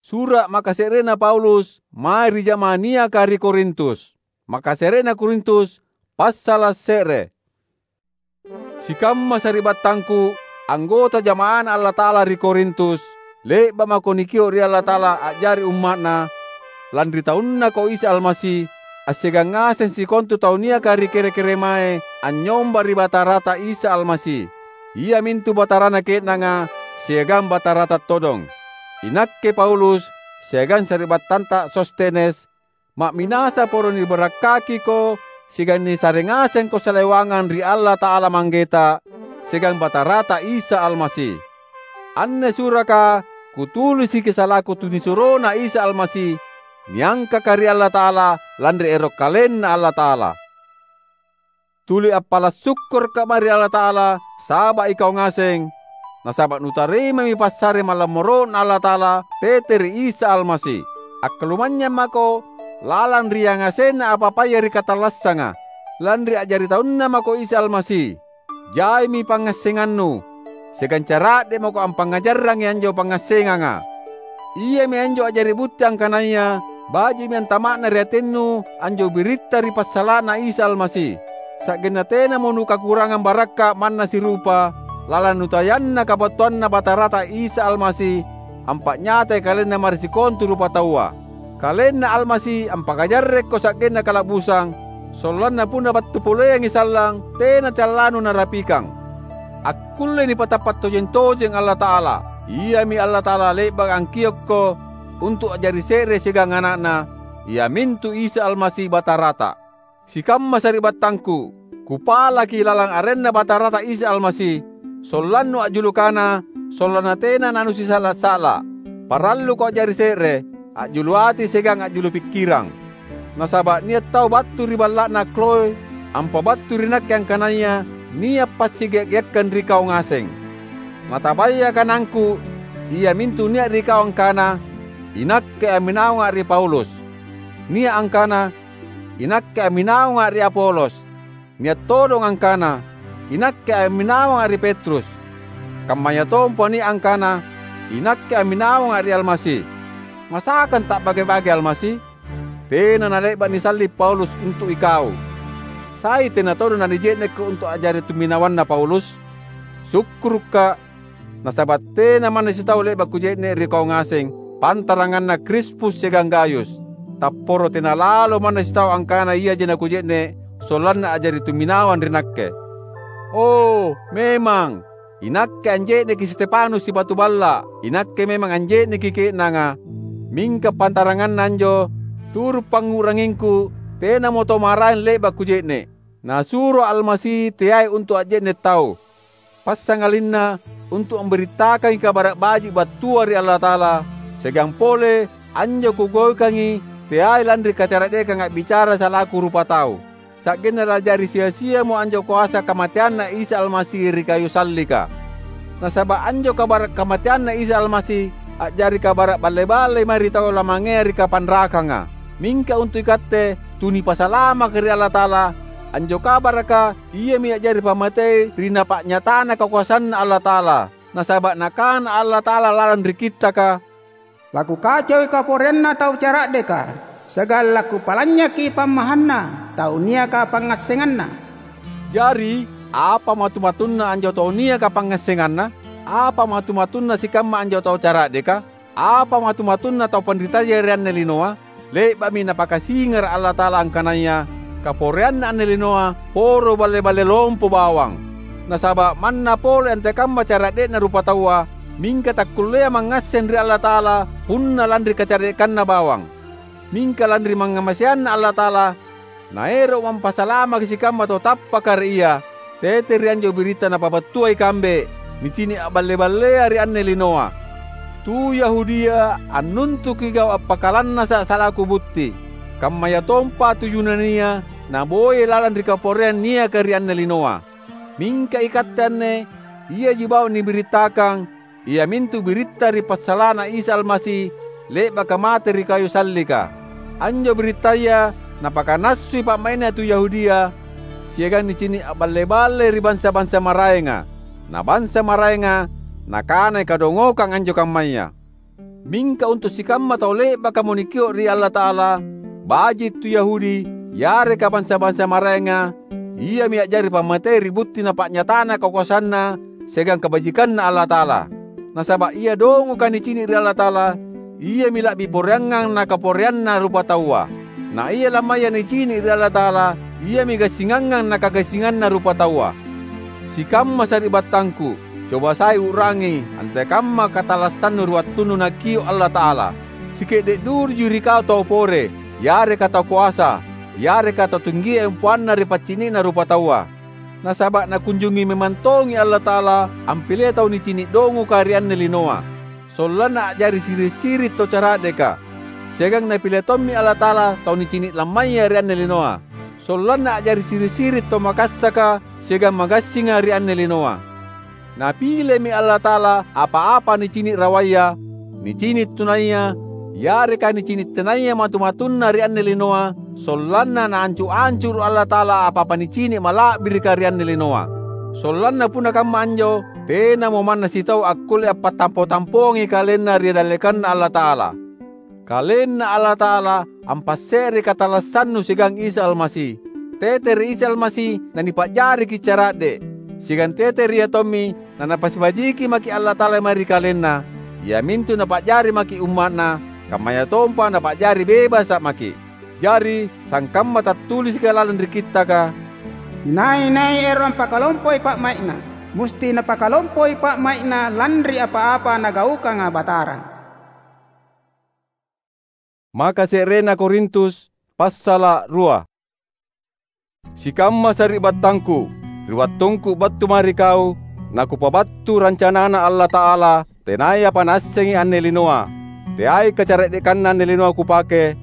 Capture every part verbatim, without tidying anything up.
Sura’ makase'rena Paulus mae ri jama'ah niaka ri Korintus. Makase're'na Korintus, passala’ se're. Sikamma sari'battangku, anggota jama'aNa Allata'ala ri Korintus, le'ba’ mako nikio’ ri Allata'ala a'jari umma'Na, lanri taunnako Isa Almasi, assiagang ngaseng sikontu tau niaka ri kere-keremae anynyomba ri Batarata Isa Almasi, iamintu Batarana ke'nanga siagang Batarata todong. Inakke Paulus siagang sari'battanta Sostenes, ma'minasa poro nibarakkakiko siagang nisare ngasengko salewangang ri Allata'ala Manggeta siagang Batarata Isa Almasi. Anne suraka kutulisiki salaku tunisuroNa Isa Almasi, niangkaka ri Allata'ala lanri ero’ KalenNa Allata'ala. Tuli appala’ sukkurukka’ mae ri Allata'ala saba’ ikau ngaseng, nasaba’ nutarimami passare malammoro'Na Allata'ala tete ri Isa Almasi. Akkalumanynyang mako lalang ri yangasenna apa-apaya ri katallassanga, lanri a'jari taunNa mako Isa Almasi. Jaimi pangngassengannu, siagang cara'de’ mako ampangngajarrangi anjo pangngassenganga. Iami anjo a'jari butti angkanaya baji'mi antama'na ri atennu anjo biritta ri passala'na Isa Almasi, sa'genna tenamo nukakurangang barakka’ manna sirupa lalang nutayanna kabattuanNa Batarata Isa Almasi ampa'nyatai KalenNa mae ri sikontu rupataua. KalenNa Almasi ampakajarrekko sa'genna kala'busang, sollanna punna battu poleangi sallang, tena callanu narapikang. Akkullei nipatappa’ tojeng-tojeng Allata'ala. Iami Allata'ala le'baka angkiokko untu’ a'jari se're siagang Ana'Na, iamintu Isa Almasi Batarata. Sikamma sari'battangku, kupalaki lalang arenNa Batarata Isa Almasi, sollannu a'julu kana, sollanna tena nanusisa'la’-sa'la’. Paralluko a'jari se're, a'julu ati siagang a'julu pikkirang. Nasaba’ nia’ tau battu ri balla'na Kloe ampabattu ri nakke angkanaya nia’ passiga’-giakkang ri kau ngaseng. Natabaya kanangku, iamintu nia’ ri kau angkana, "Inakke amminawanga’ ri Paulus." Nia’ angkana, "Inakke amminawanga’ ri Apolos." Nia’ todong angkana, "Inakke amminawanga’ ri Petrus." Kammayatompa nia’ angkana, "Inakke amminawanga’ ri Almasi." Masakang ta'bage-bage Almasi? Tena nale'ba’ nisalli’ Paulus untu’ ikau. Sai tena todong nanije'nekko untu’ a'jari tumminawanna Paulus? Sukkurukka’, nasaba’ tena manna sitau le'ba’ kuje'ne’ ri kau ngaseng, pantaranganna Krispus siagang Gayus. Tapporo tena lalo manna sitau angkana iaji nakuje'ne’ sollanna a'jari tumminawang ri nakke. O, memang! Inakke anje'neki Stefanus sipatu balla’, inakke memang anje'neki ke'nanga. Mingka pantaranganna anjo, turu’ pangngu'rangingku, tenamo tau maraeng le'ba’ kuje'ne’. Nasuro Almasi teai untu’ a'je'ne’ tau. Passangalinna untu’ ambirittakangi Kabara’ Baji’ battua ri Allata'ala, siagang pole anjo kugaukangi teai lanri kacara'dekang a'bicara salaku rupatau. Sa'genna la'jari sia-siamo anjo koasa kamateanNa Isa Almasi ri kayu sallika. Nasaba’ anjo kabara’ kamateanNa Isa Almasi a'jari kabara’ balle-balle mae ri tau lamangea ri kapanrakanga. Mingka untu’ ikatte tu nipasalamaka ri Allata'ala, anjo kabaraka iami a'jari pammatei ri napa'nyatana kakoasanNa Allata'ala. Nasaba’ Nakana Allata'ala lalang ri Kittaka, "Lakukacoi kaporeanna tau cara'deka, siagang lakupalanynyaki pammahanna tau niaka pangngassenganna." Jari, apa matu-matunna anjo tau niaka pangngassenganna? Apa matu-matunna sikamma anjo tau cara'deka? Apa matu-matunna tau panritaya ri anne linoa? Le'ba'mi Napakasingara’ Allata'ala angkanaya kaporeanna anne linoa poro balle-balle lompo bawang. Nasaba’ manna pole antekamma cara'de'na rupataua, mingka takkulleai mangngasseng ri Allata'ala punna lanri kacara'dekanna bawang. Mingka lanri mangngamaseanNa Allata'ala, Naero'mo ampasalamaki sikamma tau tappaka ri Ia, tete ri anjo biritta Napabattua ikambe, nicini’ a'balle-ballea ri anne linoa. Tu Yahudia annuntuki gau’ appakalannasa’ salaku butti, kammayatompa tu Yunania naboyai lalang ri kaporeang niaka ri anne linoa. Mingka ikatte anne, iaji bawang nibirittakang, iamintu biritta ri passala'na Isa Almasi le'baka mate ri kayu sallika. Anjo birittaya napakanassui pa'mai'na tu Yahudia, siagang nicini’ a'balle-balle ri bansa-bansa maraenga. Na bansa maraenga nakanai kadongokang anjo kammaya. Mingka untu’ sikamma tau le'bakamo nikio’ ri Allata'ala, baji’ tu Yahudi yareka bansa-bansa maraenga, iami a'jari pammatei ri butti napa'nyatana kakoasanNa siagang kabajikanNa Allata'ala. Nasaba’ ia dongoka nicini’ ri Allata'ala, iami la'bi poreangang na kaporeanna rupataua. Na ia lammaya nicini’ ri Allata'ala, iami gassingangang na kagassinganna rupataua. Sikamma sari'battangku, coba sai u'rangi antekamma katallassannu ri wattunnu Nakio’ Allata'ala. Sike'de’ duruji ri kau tau pore, yareka tau koasa, yareka tau tinggia empoanna ri paccini'na rupataua. Nasaba’ nakunjungi memang tongi Allata'ala ampilei tau nicini’ dongoka ri anne linoa, sollanna a'jari siri’-siri’ tau cara'deka. Siagang Napile tommi Allata'ala tau nicini’ lammaya ri anne linoa, sollanna a'jari siri’-siri’ tau makassaka siagang magassinga ri anne linoa. Napilemi Allata'ala apa-apa nicini’ rawaya, nicini’ tunaya, yareka nicini’ tenaya matu-matunna ri anne linoa, sollanna Naancu’-ancuru’ Allata'ala apa-apa nicini’ mala'birika ri anne linoa. Sollanna punna kamma anjo, tenamo manna sitau akkulle ampattampo-tampoangi kalenna ri dallekanNa Allata'ala. KalenNa Allata'ala ampasse'rei katallassannu siagang Isa Almasi. Tete ri Isa Almasi nanipa'jariki’ cara'de’, siagang tete ri Ia tommi nanapasibajiki maki’ Allata'ala mae ri kalenna, iamintu Napa'jari maki’ umma'Na, kammayatompa Napa'jari bebasa’ maki’. Jari, sangkamma tattulisika lalang ri Kittaka, "Inai-nai ero’ ampakalompoi pa'mai'na, musti napakalompoi pa'mai'na lanri apa-apa Nagaukanga Batara." Maka se'rena Korintus, passala’ rua. Sikamma sari'battangku, ri wattungku battu mae ri kau, nakupabattu rancanaNa Allata'ala, tenayapa naassengi anne linoa. Teai kacara'dekanna anne linoa kupake,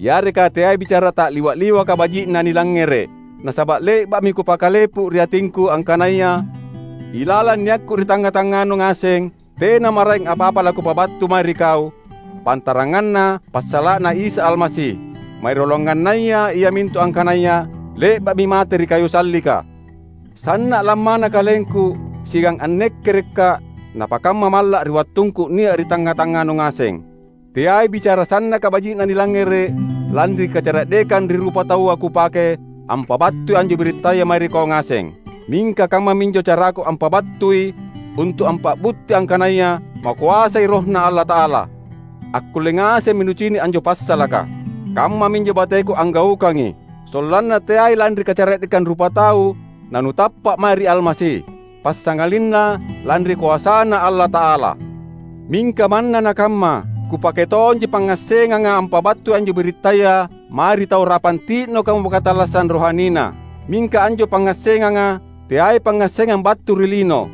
yareka teai bicara ta'liwa’-liwaka baji'na nilangngere’. Nasaba’ le'ba'mi kupakalepu ri atingku angkanaya ilalang niakku ri tangnga-tangnganu ngaseng, tena maraeng apa-apa lakupabattu mae ri kau, pantaranganna passala'na Isa Almasi. Mairolongannaya iamintu angkanaya le'ba'mi mate ri kayu sallika. Sanna’ lammana kalengku siagang annekkerekka’ napakamma malla’ ri wattungku nia’ ri tangnga-tangnganu ngaseng. Teai bicara sannaka baji'na nilangngere’ lanri kacara'dekang ri rupataua kupake ampabattui anjo birittaya mae ri kau ngaseng. Mingka kammaminjo caraku ampabattui untu’ ampa'butti angkanaya makoasai RohNa Allata'ala. Akkulle ngasemmi nucini’ anjo passalaka. Kammaminjo bateku anggaukangi, sollanna teai lanri kacara'dekang rupatau nanutappa’ mae ri Almasi, passangalinna lanri koasaNa Allata'ala. Mingka manna nakamma, kupake tonji pangngassenganga ampabattui anjo birittaya mae ri tau rapang ti'nokamo katallassang rohanina. Mingka anjo pangngassenganga teai pangngassengang battu ri lino,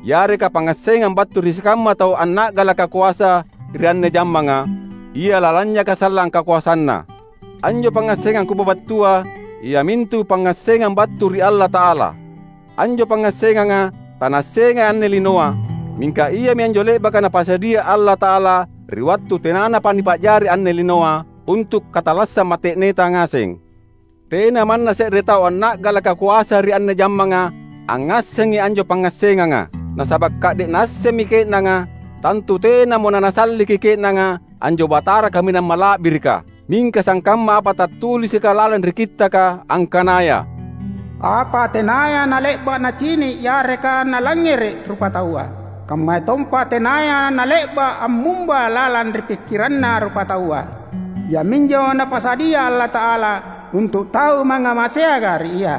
yareka pangngassengang battu ri sikamma tau anna'galaka koasa ri anne jammanga, ia lalanynyaka sallang kakoasanna. Anjo pangngassengang kupabattua, iamintu pangngassengang battu ri Allata'ala. Anjo pangngassenganga tanaassengai anne linoa, mingka iami anjo le'baka Napasadia Allata'ala ri wattu tenanapa nipa'jari anne linoa untu’ katallassang mate'neta ngaseng. Tena manna se're tau anna'galaka koasa ri anne jammanga angngassengi anjo pangngassenganga, nasaba’ ka'de’ naassemmi ke'nanga, tantu tenamo nanasalliki ke'nanga anjo Batara Kaminang Mala'birika. Mingka sangkamma apa tattulisika lalang ri Kittaka angkanaya, "Apa tenaya nale'ba’ nacini’ yareka nalangngere’ rupataua, kammayatompa tenaya nale'ba’ ammumba lalang ri pikkiranna rupataua, iaminjo Napasadia Allata'ala untu’ tau mangngamaseanga ri Ia."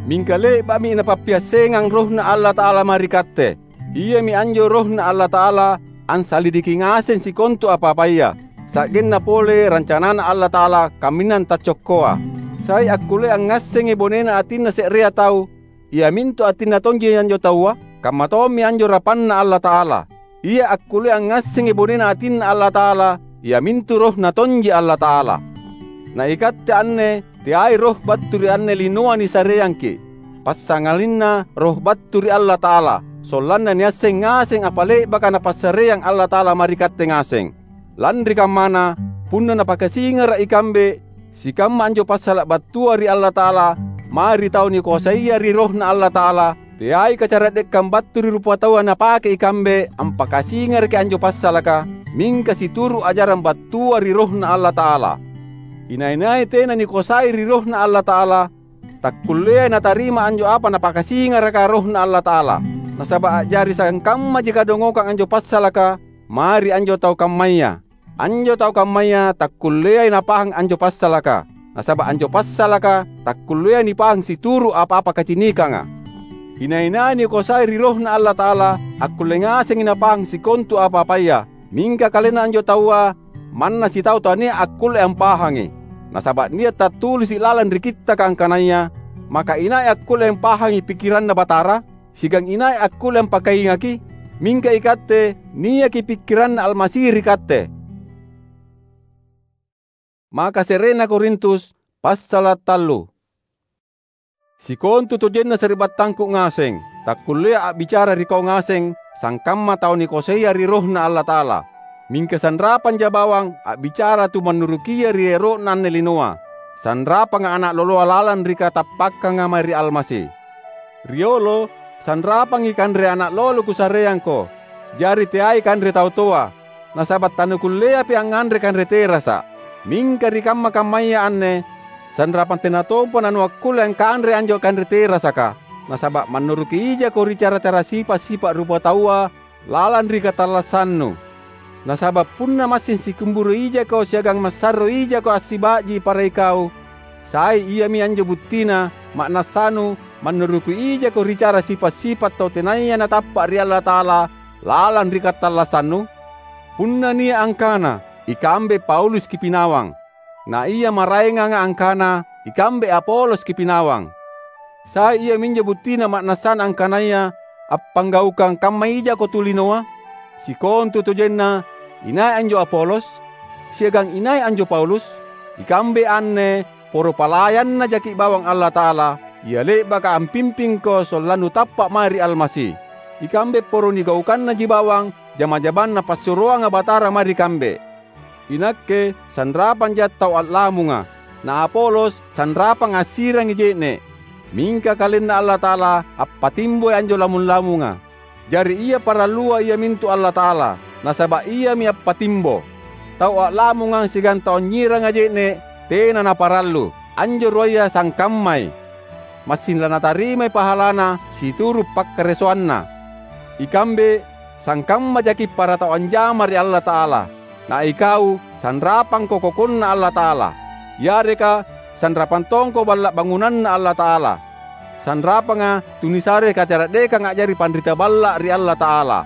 Mingka le'ba'mi Napappiassengang RohNa Allata'ala mae ri katte. Iami anjo RohNa Allata'ala ansalidiki ngaseng sikontu apa-apaya, sa'genna pole rancanaNa Allata'ala kaminang taccokkoa. Sai akkullea angngassengi bonena atinna se'rea tau, iamintu atinna tonji anjo taua? Kamma tommi anjo rapanNa Allata'ala. Ia akkullea angngassengi bonena atinNa Allata'ala, iamintu RohNa tonji Allata'ala. Na ikatte anne teai roh battu ri anne linoa nisareangki’, passangalinna roh battu ri Allata'ala, sollanna niasseng ngaseng apa le'baka Napassareang Allata'ala mae ri katte ngaseng. Lanri kammana, punna Napakasingara’ ikambe, sikamma anjo passala’ battua ri Allata'ala mae ri tau nikoasaya ri RohNa Allata'ala, teai kacara'dekkang battu ri rupataua napake ikambe ampakasingaraki anjo passalaka, mingka situru’ ajarang battua ri RohNa Allata'ala. Inai-nai tena nikosai ri RohNa Allata'ala, takkulleai natarima anjo apa Napakasingaraka RohNa Allata'ala. Nasaba’ a'jari sangkammaji kadongokang anjo passalaka mae ri anjo tau kammaya. Anjo tau kammaya takkulleai napahang anjo passalaka, nasaba’ anjo passalaka takkulleai nipahang situru’ apa-apa kacinikanga. Inai-nai nikosai ri RohNa Allata'ala, akkulle ngasengi napahang sikontu apa-apaya. Mingka kalenna anjo taua manna sitau tania akkulle ampahangi. Nasaba’ nia’ tattulisi’ lalang ri Kittaka angkanaya, "Maka inai akkulle ampahangi pikkiranNa Batara?" siagang inai akkulle ampakaingaki? Mingka ikatte niaki pikkiranNa Almasi ri katte. Maka se'rena Korintus, passala’ tallu. Sikontutojenna sari'battangku ngaseng, takkulleai a'bicara ri kau ngaseng sangkamma tau nikoasaia ri RohNa Allata'ala. Mingka sanrapangja bawang a'bicara tu mannurukia ri ero'na anne linoa, sanrapanga ana’ loloa lalang ri katappakkanga mae ri Almasi. Riolo, sanrapangi kanre ana’ lolo kusareangko, jari teai kanre tau toa, nasaba’ tanukulleapi angnganre kanre terasa’. Mingka ri kamma-kammaya anne, sanrapang tena tompa nanuakkulle angkanrei anjo kanre terasaka, nasaba’ mannuruki ijako ri cara-cara sipa’-sipa’ rupataua lalang ri katallassannu. Nasaba’ punna massing sikumburu ijako siagang massarro ijako assiba'ji para ikau, sai iami anjo buttina ma'nassanu mannuruki ijako ri cara sipa’-sipa’ tau tenaya natappa’ ri Allata'ala lalang ri katallassannu? Punna nia’ angkana, "Ikambe Paulus kipinawang," na ia maraenganga angkana, "Ikambe Apolos kipinawang," sai iaminjo buttina ma'nassana angkanaya appanggaukang kamma ijako tu linoa? Sikontutojenna, inai anjo Apolos? Siagang inai anjo Paulus? Ikambe anne poro palayannajaki’ bawang Allata'ala, ia le'baka ampimpingko sollannu tappa’ mae ri Almasi. Ikambe poro nigaukannaji bawang jama-jamanna passuroanga Batara mae ri kambe. Inakke sanrapanja tau a'lamunga, na Apolos sanrapang assirangi je'ne’. Mingka KalenNa Allata'ala appatimboi anjo lamung-lamunga. Jari ia parallua iamintu Allata'ala, nasaba’ Iami appatimbo. Tau a'lamungang siagang tau anynyiranga je'ne’ tena naparallu. Anjo ruaya sangkammai. Massing lanatarimai pahalana situru’ pakkaresoanna. Ikambe sangkammajaki’ para tau anjama ri Allata'ala. Na ikau sanrapangko kokonna Allata'ala, yareka sanrapang tongko balla’ bangunanNa Allata'ala. Sanrapanga tunisare kacara'dekang a'jari panrita balla’ ri Allata'ala.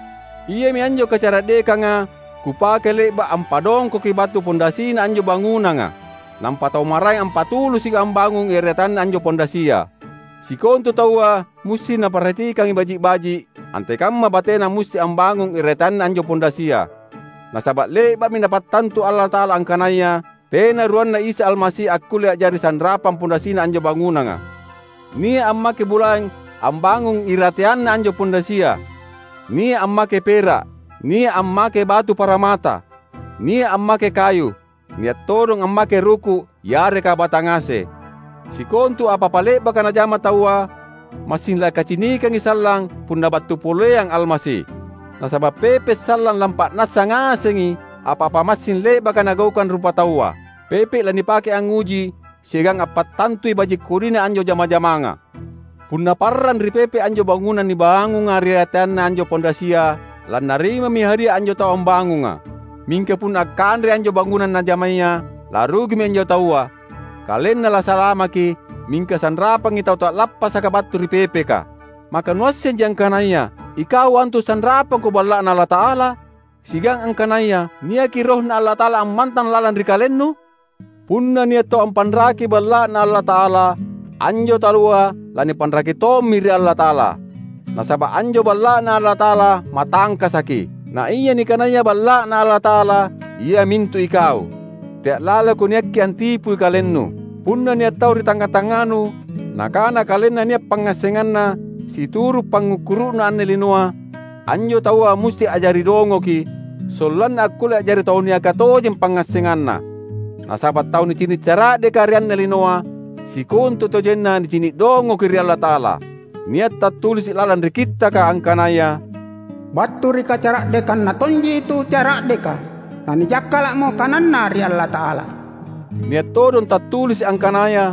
Iami anjo kacara'dekanga kupake le'ba’ ampadongkoki batu pondasina anjo bangunanga, nampa tau maraeng ampatulusi ambangung irateanna anjo pondasia. Sikontu taua musti naparhatikangi baji’-baji’, antekamma batena musti ambangung irateanna anjo pondasia. Nasaba’ le'ba'mi Napattantu Allata'ala angkanaya tena ruanna Isa Almasi akkulle a'jari sanrapang pondasina anjo bangunanga. Nia’ ammake bulaeng ambangung irateanna anjo pondasia, nia’ ammake pera’, nia’ ammake batu paramata, nia’ ammake kayu, nia’ todong ammake ruku’ yareka batangase. Sikontu apa-apa le'baka najama taua, massing lakacinikangi sallang punna battu poleang Almasi. Nasaba’ pepe’ sallang lampa'nassa ngasengi apa-apa massing le'baka nagaukang rupataua. Pepe’ lanipake angnguji siagang appattantui baji’ kodina anjo jama-jamanga. Punna parrang ri pepe’ anjo bangunang nibangunga ri rateanna anjo pondasia, lannarimami hadia anjo tau ambangunga. Mingka punna akkanrei anjo bangunang najamaya, larugimi anjo taua. Kalenna lasalamaki, mingka sanrapangi tau ta'lappasaka battu ri pepeka. Maka nuassenji angkanaya ikau antu sanrapangko Balla'Na Allata'ala, siagang angkanaya niaki RohNa Allata'ala ammantang lalang ri kalennu? Punna nia’ tau ampanraki Balla'Na Allata'ala, anjo taua lanipanraki tommi ri Allata'ala. Nasaba’ anjo Balla'Na Allata'ala matangkasaki. Na ia nikanaya Balla'Na Allata'ala, iamintu ikau. Tea’ laloko niakki antipui kalennu. Punna nia’ tau ri tangnga-tangnganu nakana kalenna nia’ pangngassenganna situru’ pangngukkuru'na anne linoa, anjo taua musti a'jari dongoki, sollanna akkulle a'jari tau niaka tojeng pangngassenganna. Nasaba’ tau nicini’ cara'deka ri anne linoa, sikontutojenna nicini’ dongoki ri Allata'ala. Nia’ tattulisi’ lalang ri Kittaka angkanaya, "Battu ri kacara'dekanna tonji tu cara'deka." nanijakkala'mo kananNa ri Allata'ala. Nia’ todong tattulisi’ angkanaya,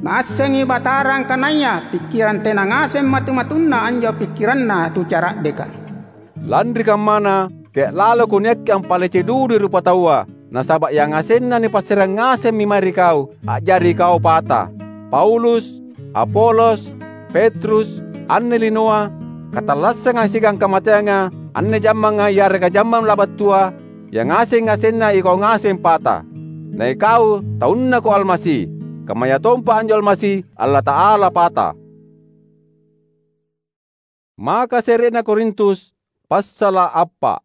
"Naassengi Batara angkanaya pikkirang tena ngaseng matu-matunna anjo pikkiranna tu cara'deka." Lanri kammana, tea’ laloko niakke ampalece dudui rupataua, nasaba’ yangasenna nipassareang ngasemmi mae ri kau, a'jari ikau pata. Paulus, Apolos, Petrus, anne linoa, katallassanga siagang kamateanga, anne jammanga yareka jammang labattua, yangaseng-ngasenna ikau ngaseng pata. Na ikau taunnako Almasi, kammayatompa anjo Almasi Allata'ala pata. Maka se're'na Korintus, passala’ appa’.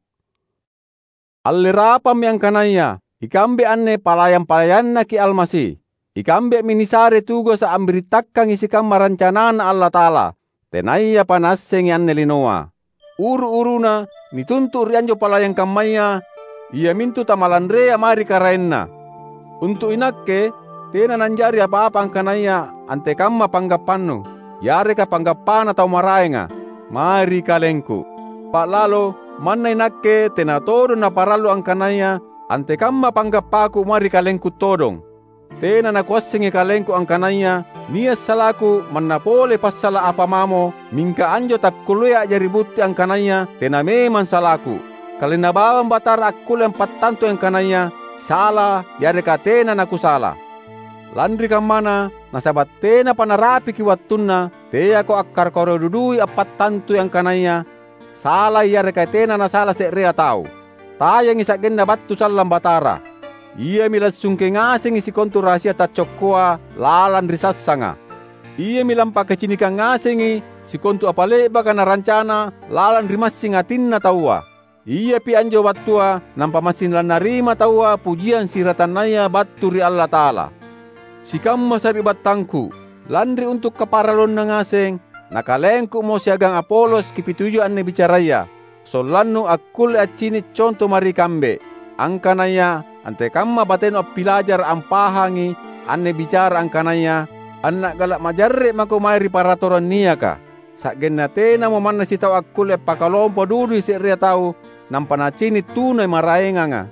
Allerampammi angkanaya ikambe anne palayang-palayannaki Almasi. Ikambemi nisare tugasa’ ambirittakangi sikamma rancanaNa Allata'ala, tenayapa naassengi anne linoa. Uru-uruna nituntu’ ri anjo palayang kammaya, iamintu tamalanrea mae ri karaenna. Untu’ inakke, tena nanjari apa-apa angkanaya antekamma panggappannu, yareka panggappana tau maraenga, mae ri kalengku. Ba'lalo manna inakke tena todong naparallu angkanaya antekamma panggappaku mae ri kalengku todong. Tena nakuassengi kalengku angkanaya nia’ salaku manna pole passala’ apa mamo, mingka anjo takkulleai a'jari butti angkanaya tena memang salaku. KalenNa bawang Batara akkulle ampattantui angkanaya sala yareka tena nakusala. Lanri kammana, nasaba’ tenapa narapiki wattunna, teako akkarakorong dudui appattantui angkanaya salai yareka tena nasala se'rea tau. Tayangi sa'genna battu sallang Batara. Iami lassungke ngasengi sikontu rahasia taccokkoa lalang ri sassanga. Iami lampakacinikang ngasengi sikontu apa le'baka narancana lalang ri massing atinna taua. Iapi anjo wattua nampa massing lannarima taua pujiang siratannaya battu ri Allata'ala. Sikamma sari'battangku, lanri untu’ kaparalluanna ngaseng, nakalengkumo siagang Apolos kipitujui anne bicaraya, sollannu akkulle accini’ conto mae ri kambe, angkanaya antekamma batenu appilajara’ ampahangi anne bicara angkanaya anna'gala’ majarre’ mako mae ri paratorang niaka. Sa'genna tenamo manna sitau akkulle appakalompo dudui se'rea tau nampa nacini’ tunai maraenganga.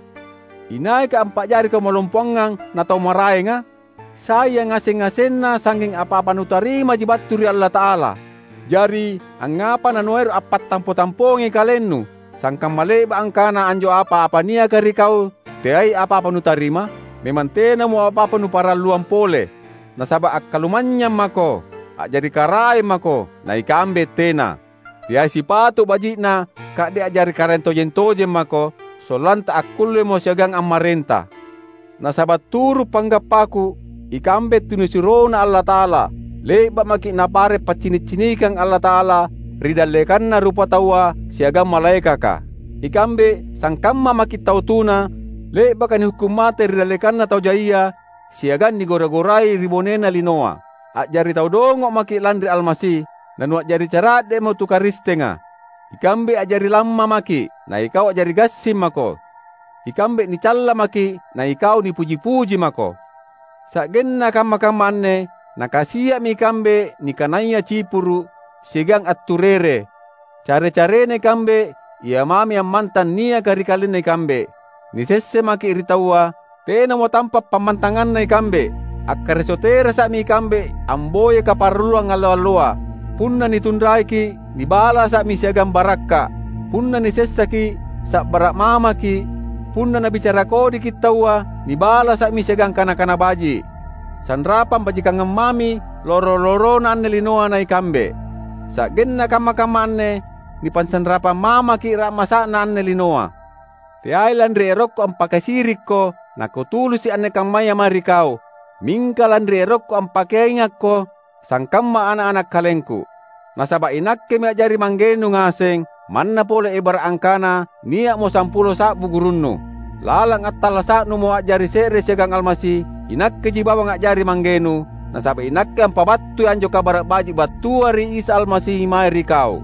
Inaika ampa'jari kamalompoangang na tau maraenga? Sai yangaseng-ngasenna sangnging apa-apa nutarimaji battu ri Allata'ala. Jari, angngapa nanuero’ appattampo-tampongi kalennu, sangkamma le'ba’ angkana anjo apa-apa niaka ri kau teai apa-apa nutarima? Memang tenamo apa-apa nuparalluang pole. Nasaba’ akkalumanynyang mako, a'jari karaeng mako, na ikambe tena. Teai sipatu baji'na ka'de’ a'jari karaeng tojeng-tojeng mako, sollanta akkullemo siagang ammarenta. Nasaba’ turu’ panggappaku, ikambe tunisuroNa Allata'ala, le'ba’ maki’ Napare’ paccini’-cinikang Allata'ala ri dallekanna rupataua siagang malaekaka. Ikambe sangkamma maki’ tau tuna, le'baka nihukkung mate ri dallekanna tau jaia, siagang nigora-gorai ri bonena linoa. A'jari tau dongo’ maki’ lanri Almasi, nanua'jari cara'de'mo tu Karistenga. Ikambe a'jari lamma maki’, na ikau a'jari gassing mako. Ikambe nicalla maki’, na ikau nipuji-puji mako. Sa'genna kamma-kamma anne, nakasia'mi ikambe nikanaya cipuru’ siagang atturere. Care-carena ikambe, ia mami ammantang niaka ri kalenna ikambe. Nisesse maki’ ri taua, tenamo tampa’ pammantanganna ikambe. Akkareso terasa'mi ikambe amboya kaparalluang allo-alloa. Punna nitunraiki’, nibalasa'mi siagang barakka’. Punna nisessaki’, sa'bara’ mamaki’. Punna nabicara kodiki’ taua, nibalasa'mi siagang kana-kana baji’. Sanrapang bajikangang mami loro-lorona anne linoa na ikambe. Sa'genna kamma-kamma anne, nipansanrapang mamaki’ ra'masa'na anne linoa. Teai lanri erokku ampakasirikko nakutulusi anne kammaya mae ri kau, mingka lanri erokku ampakeingakko sangkamma ana’-ana’ kalengku. Nasaba’ inakkemi a'jari manggenu ngaseng, manna pole ebara’ angkana nia'mo sampulo sa'bu gurunnu. Lalang attallasa'numo a'jari se're siagang Almasi, inakkeji bawang a'jari manggenu, nasaba’ inakke ampabattui anjo Kabara’ Baji’ battua ri Isa Almasi mae ri kau.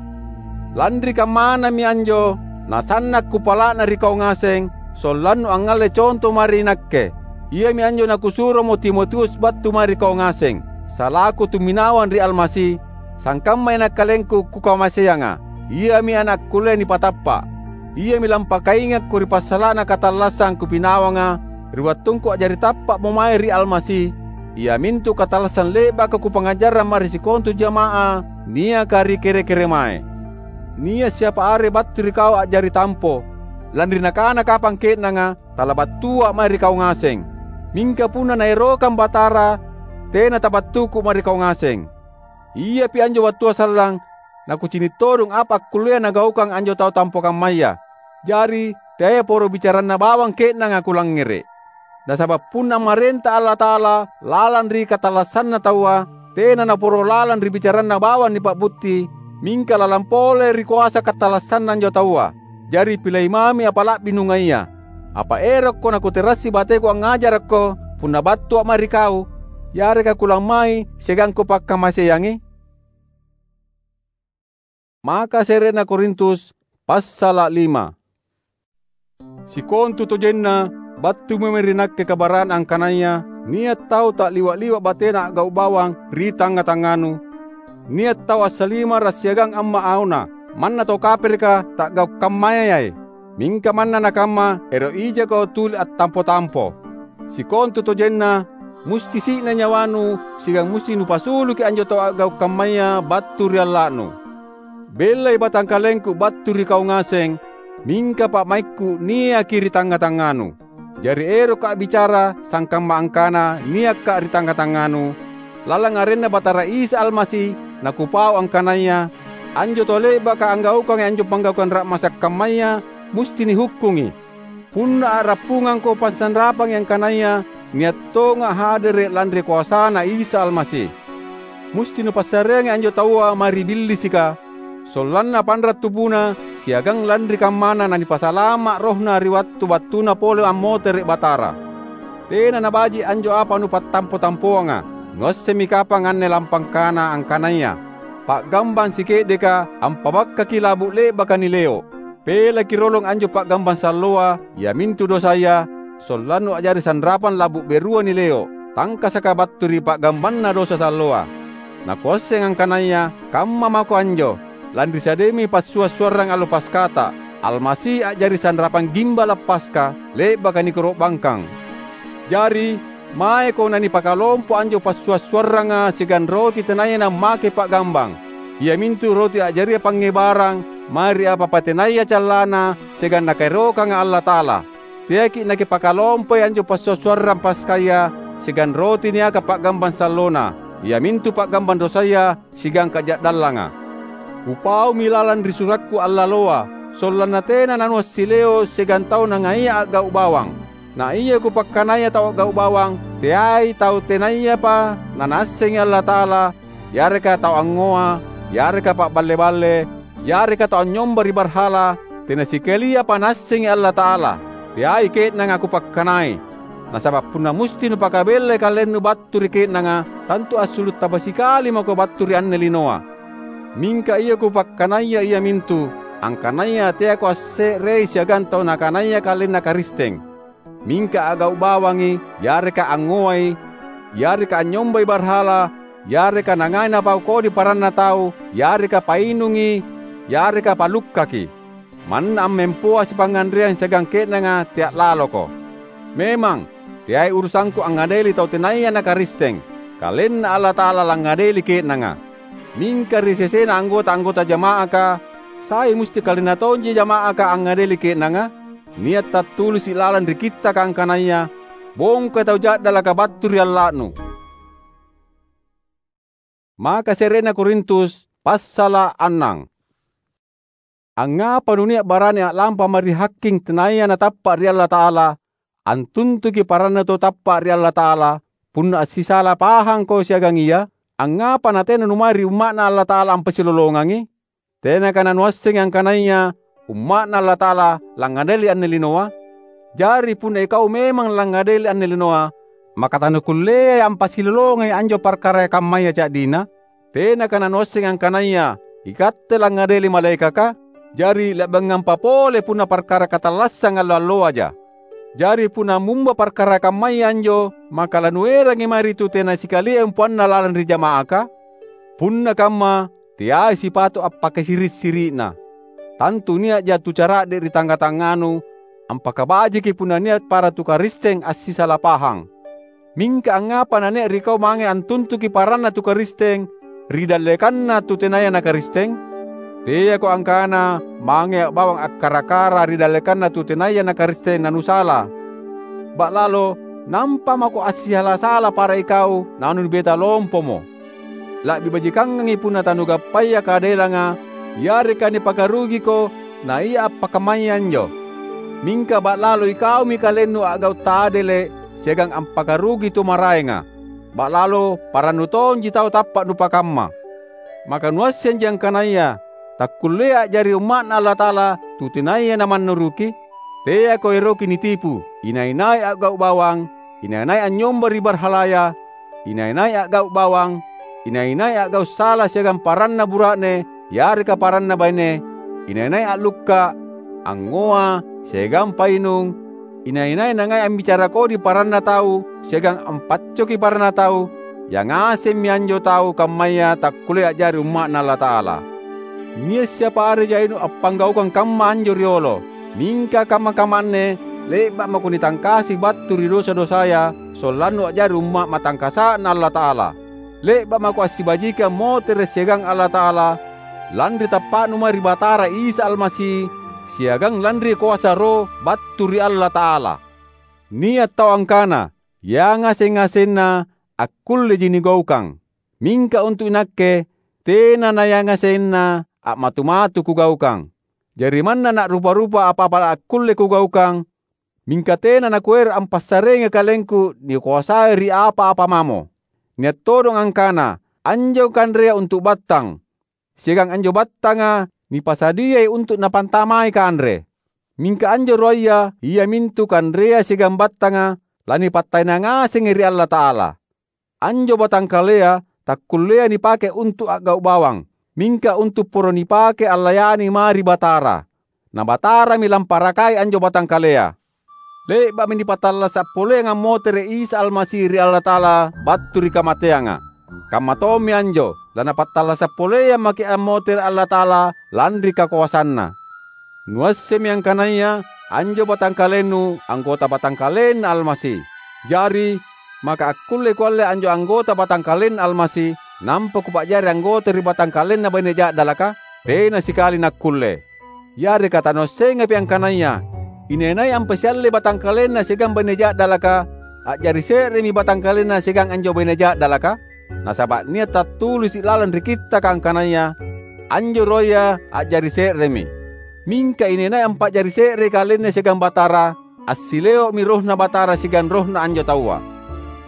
Lanri kammanami anjo nasanna’ kupala'na ri kau ngaseng, sollannu angngalle conto mae ri nakke. Iami anjo nakusuromo Timotius battu mae ri kau ngaseng, salaku tumminawang ri Almasi, sangkamma inakkalengku kukamaseanga. Iami ana’ kullea nipatappa’. Iami lampakaingakko ri passala'na katallassang kupinawanga ri wattungku a'jari tappa'mo mae ri Almasi, iamintu katallassang le'baka kupangngajarrang mae ri sikontu jama'ah niaka ri kere-keremae. Nia’ siapa are battu ri kau a'jari tampo, lanri nakana kapang ke'nanga, "Talabattua’ mae ri kau ngaseng." Mingka punna Naerokang Batara, tena tabattuku’ mae ri kau ngaseng. Iapi anjo wattua sallang, nakucini’ todong apa akkullea nagaukang anjo tau tampo kammaya. Jari, teai poro bicaranna bawang ke'nanga kulangngere’. Nasaba’ punna ammarenta Allata'ala lalang ri katallassanna taua, tena naporo lalang ri bicaranna bawang nipa'butti, mingka lalang pole ri koasa katallassanna anjo taua. Jari, pilai mami apa la'bi nungaia. Apa erokko nakuterassi bateku angngajarakko punna battua’ mae ri kau, yareka kulammai siagang kupakkamaseangi? Maka se're'na Korintus, passala’ lima. Sikontutojenna, battumi mae ri nakke kabara'na angkanaya nia’ tau ta'liwa’-liwa’ batena a'gau’ bawang ri tangnga-tangnganu, nia’ tau assalimara’ siagang amma’ aona, manna tau kapereka ta'gau’ kammayai. Mingka manna nakamma, ero’ ijako tuli attampo-tampo. Sikontutojenna, musti si'na nyawanu siagang musti nupasuluki anjo tau a'gau’ kammaya battu ri alla'nu. Bellai batangkalengku battu ri kau ngaseng, mingka pa'maikku niaki ri tangnga-tangnganu. Jari erokka’ a'bicara sangkamma angkana niakka’ ri tangnga-tangnganu, lalang arenNa Batara Isa Almasi, nakupau angkanaya anjo tau le'baka anggaukangi anjo panggaukang ra'masa’ kammaya musti nihukkungi. Punna a'rappungangko passanrapangi angkanaya nia’ tonga’ hadere’ lanri koasaNa Isa Almasi, musti nupassareangi anjo taua mae ri Billisika, sollanna panra’ tubuna siagang lanri kammana nanipasalama’ rohna ri wattu battuna pole ammotere’ Batara. Tena nabaji’ anjo apa nupattampo-tampoanga. Nuassemmi kapang anne lampangkana angkanaya pa'gambang sike'deka ampabakkaki la'bu’ le'baka nileo’. Pelaki rolong anjo pa'gambang salloa, iamintu dosaya, sollannu a'jari sanrapang la'bu’ berua nileo’, tangkasaka battu ri pa'gambanna dosa salloa. Nakuasseng angkanaya kamma mako anjo, lanri sadiami passua’-suarrang allo Paskata, Almasi a'jari sanrapang gimbala’ Paska, le'baka nikoro'bangkang. Jari, maeko nanipakalompo anjo passua’-suarranga siagang roti tenaya nammake pa'gambang, iamintu roti a'jaria pangngebarang mae ri apa-apa tenaya callana siagang Nakaerokanga Allata'ala. Teaki’ nakipakalompoi anjo passua’-suarrang Paskaya siagang roti niaka pa'gambang sallona, iamintu pa'gambang dosaya siagang kaja'dallanga. Kupaumi lalang ri surakku allaloa, sollanna tena nanuassileo’ siagang tau nangaia a'gau’ bawang. Na ia kupakkanaya tau a'gau’ bawang, teai tau tenayapa nanaassengi Allata'ala, yareka tau angngoa, yareka pa'balle-balle, yareka tau anynyomba ri barhala, tena sikaliapa naassengi Allata'ala. Teai ke'nanga kupakkanai. Nasaba’ punna musti nupakabellai kalennu battu ri ke'nanga, tantu assulu’ taba sikali mako battu ri anne linoa. Mingka ia kupakkanaya iamintu, angkanaya teako asse'rei siagang tau nakanaya kalenna Karisteng. Mingka a'gau’ bawangi, yareka angngoai, yareka anynyombai barhala, yareka nangai napau kodi paranna tau, yareka painungi, yareka palukkaki. Manna ammempoa sipangnganreang siagang ke'nanga tea’ laloko. Memang, teai urusangku angngadeli tau tenaya na Karisteng, KalenNa Allata'ala langngadeli ke'nanga. Mingka ri sesena anggota-anggota jama'aka, sai musti kalenna tonji jama'aka angngadeli ke'nanga? Nia’ tattulisi’ lalang ri Kittaka angkanaya, "Bongkai tau ja'dalaka battu ri alla'nu." Maka se're'na Korintus, passala’ annang. Angngapa nunia’ barani a'lampa mae ri haking tenaya natappa’ ri Allata'ala, antuntuki parannu tau tappa’ ri Allata'ala, punna assisala pahangko siagang Ia? Angngapa natena numae ri umma'Na Allata'ala ampasilolongangi? Tenaka nanuassengi angkanaya umma'Na Allata'ala langngadeli anne linoa? Jari punna ikau memang langngadeli anne linoa, maka tanukulleai ampasilolongangi anjo parkaraya kammaya ca'dina? Tenaka nanuassengi angkanaya ikatte langngadeli malaekaka? Jari le'bangampa pole punna parkara katallassang allo-alloaja. Jari punna ammumba parkara kammaya anjo, maka lanuerangi mae ri tu tena sikalia umpoanna lalang ri jama'aka? Punna kamma, teai sipatu appakasiri’-siri'na. Tantu nia'ja tu cara'de’ ri tangnga-tangnganu ampakabajiki punna nia’ para tu Karisteng assisala pahang. Mingka angngapa nania’ ri kau mange antuntuki paranna tu Karisteng ri dallekanna tu tenaya na Karisteng? Teako angkana mangea’ bawang akkara-kara ri dallekanna tu tenaya na Karisteng nanusala. Ba'lalo nampa mako assisala-sala para ikau nanubeta lompomo. La'bi bajikangangi punna tanugappaya kadelanga yareka nipakarugiko na ia appakammaya anjo. Mingka ba'lalo ikaumi kalennu a'gau’ tadele’ siagang ampakarugi tu maraenga. Ba'lalo parannu tonji tau tappa’ nupakamma. Maka nuassenji angkanaya takkulleai a'jari umma'Na Allata'ala tu tenaya namannuruki? Teako eroki nitipu, inai-nai a'gau’ bawang, inai-nai anynyomba ri barhalaya, inai-nai a'gau’ bawang, inai-nai a'gau’ sala siagang paranna bura'ne yareka paranna baine, inai-nai a'lukka’, angngoa, siagang painung, inai-nai nangai ambicara kodi paranna tau siagang ampaccoki paranna tau, ia ngasemmi anjo tau kammaya takkullea a'jari umma'Na Allata'ala. Nia’ siapa are jainu appanggaukang kamma anjo riolo. Mingka kamma-kamma anne le'ba’ mako nitangkasi battu ri dosa-dosaya sollannu a'jari umma’ matangkasa'Na Allata'ala. Le'ba’ mako assibajiki ammotere’ siagang Allata'ala lanri tappa'nu mae ri Batara Isa Almasi siagang lanri koasa Roh battu ri Allata'ala. Nia’ tau angkana, "Yangaseng-ngasenna akkulleji nigaukang, mingka untu’ inakke tena nayangasenna a'matu-matu kugaukang. Jari manna na'rupa-rupa apa-apa akkulle kugaukang, mingka tena nakuero’ ampassareangi kalengku nikoasai ri apa-apa mamo." Nia’ todong angkana, "Anjo kanrea untu’ battang, siagang anjo battanga nipasadiai untu’ napantamai kanre." Mingka anjo ruaya, iamintu kanrea siagang battanga, lanipattaena ngasengi ri Allata'ala. Anjo batangkalea takkulleai nipake untu’ a'gau’ bawang, mingka untu’ poro nipake allayani mae ri Batara. Na Batarami lamparakai anjo batangkalea. Le'ba'mi nipattallasa’ poleang ammotere’ Isa Almasi ri Allata'ala battu ri kamateanga. Kamma tommi anjo, laNapattallasa’ poleang maki’ ammotere’ Allata'ala lanri kakoasanNa. Nuassemmi angkanaya anjo batangkalennu anggota batangkalenNa Almasi. Jari, maka akkullei kualle anjo anggota batangkalenNa Almasi, nampa kupa'jari anggota ri batangkalenna baine ja'dalaka? Tena sikali nakkulle! Yareka tanuassengapi angkanaya inai-nai ampasiallei batangkalenna siagang baine ja'dalaka, a'jari se'remi batangkalenna siagang anjo baine ja'dalaka? Nasaba’ nia’ tattulisi’ lalang ri Kittaka angkanaya, "Anjo ruaya a'jari se'remi." Mingka inai-nai ampa'jari se'rei kalenna siagang Batara, assileo'mi RohNa Batara siagang rohna anjo taua.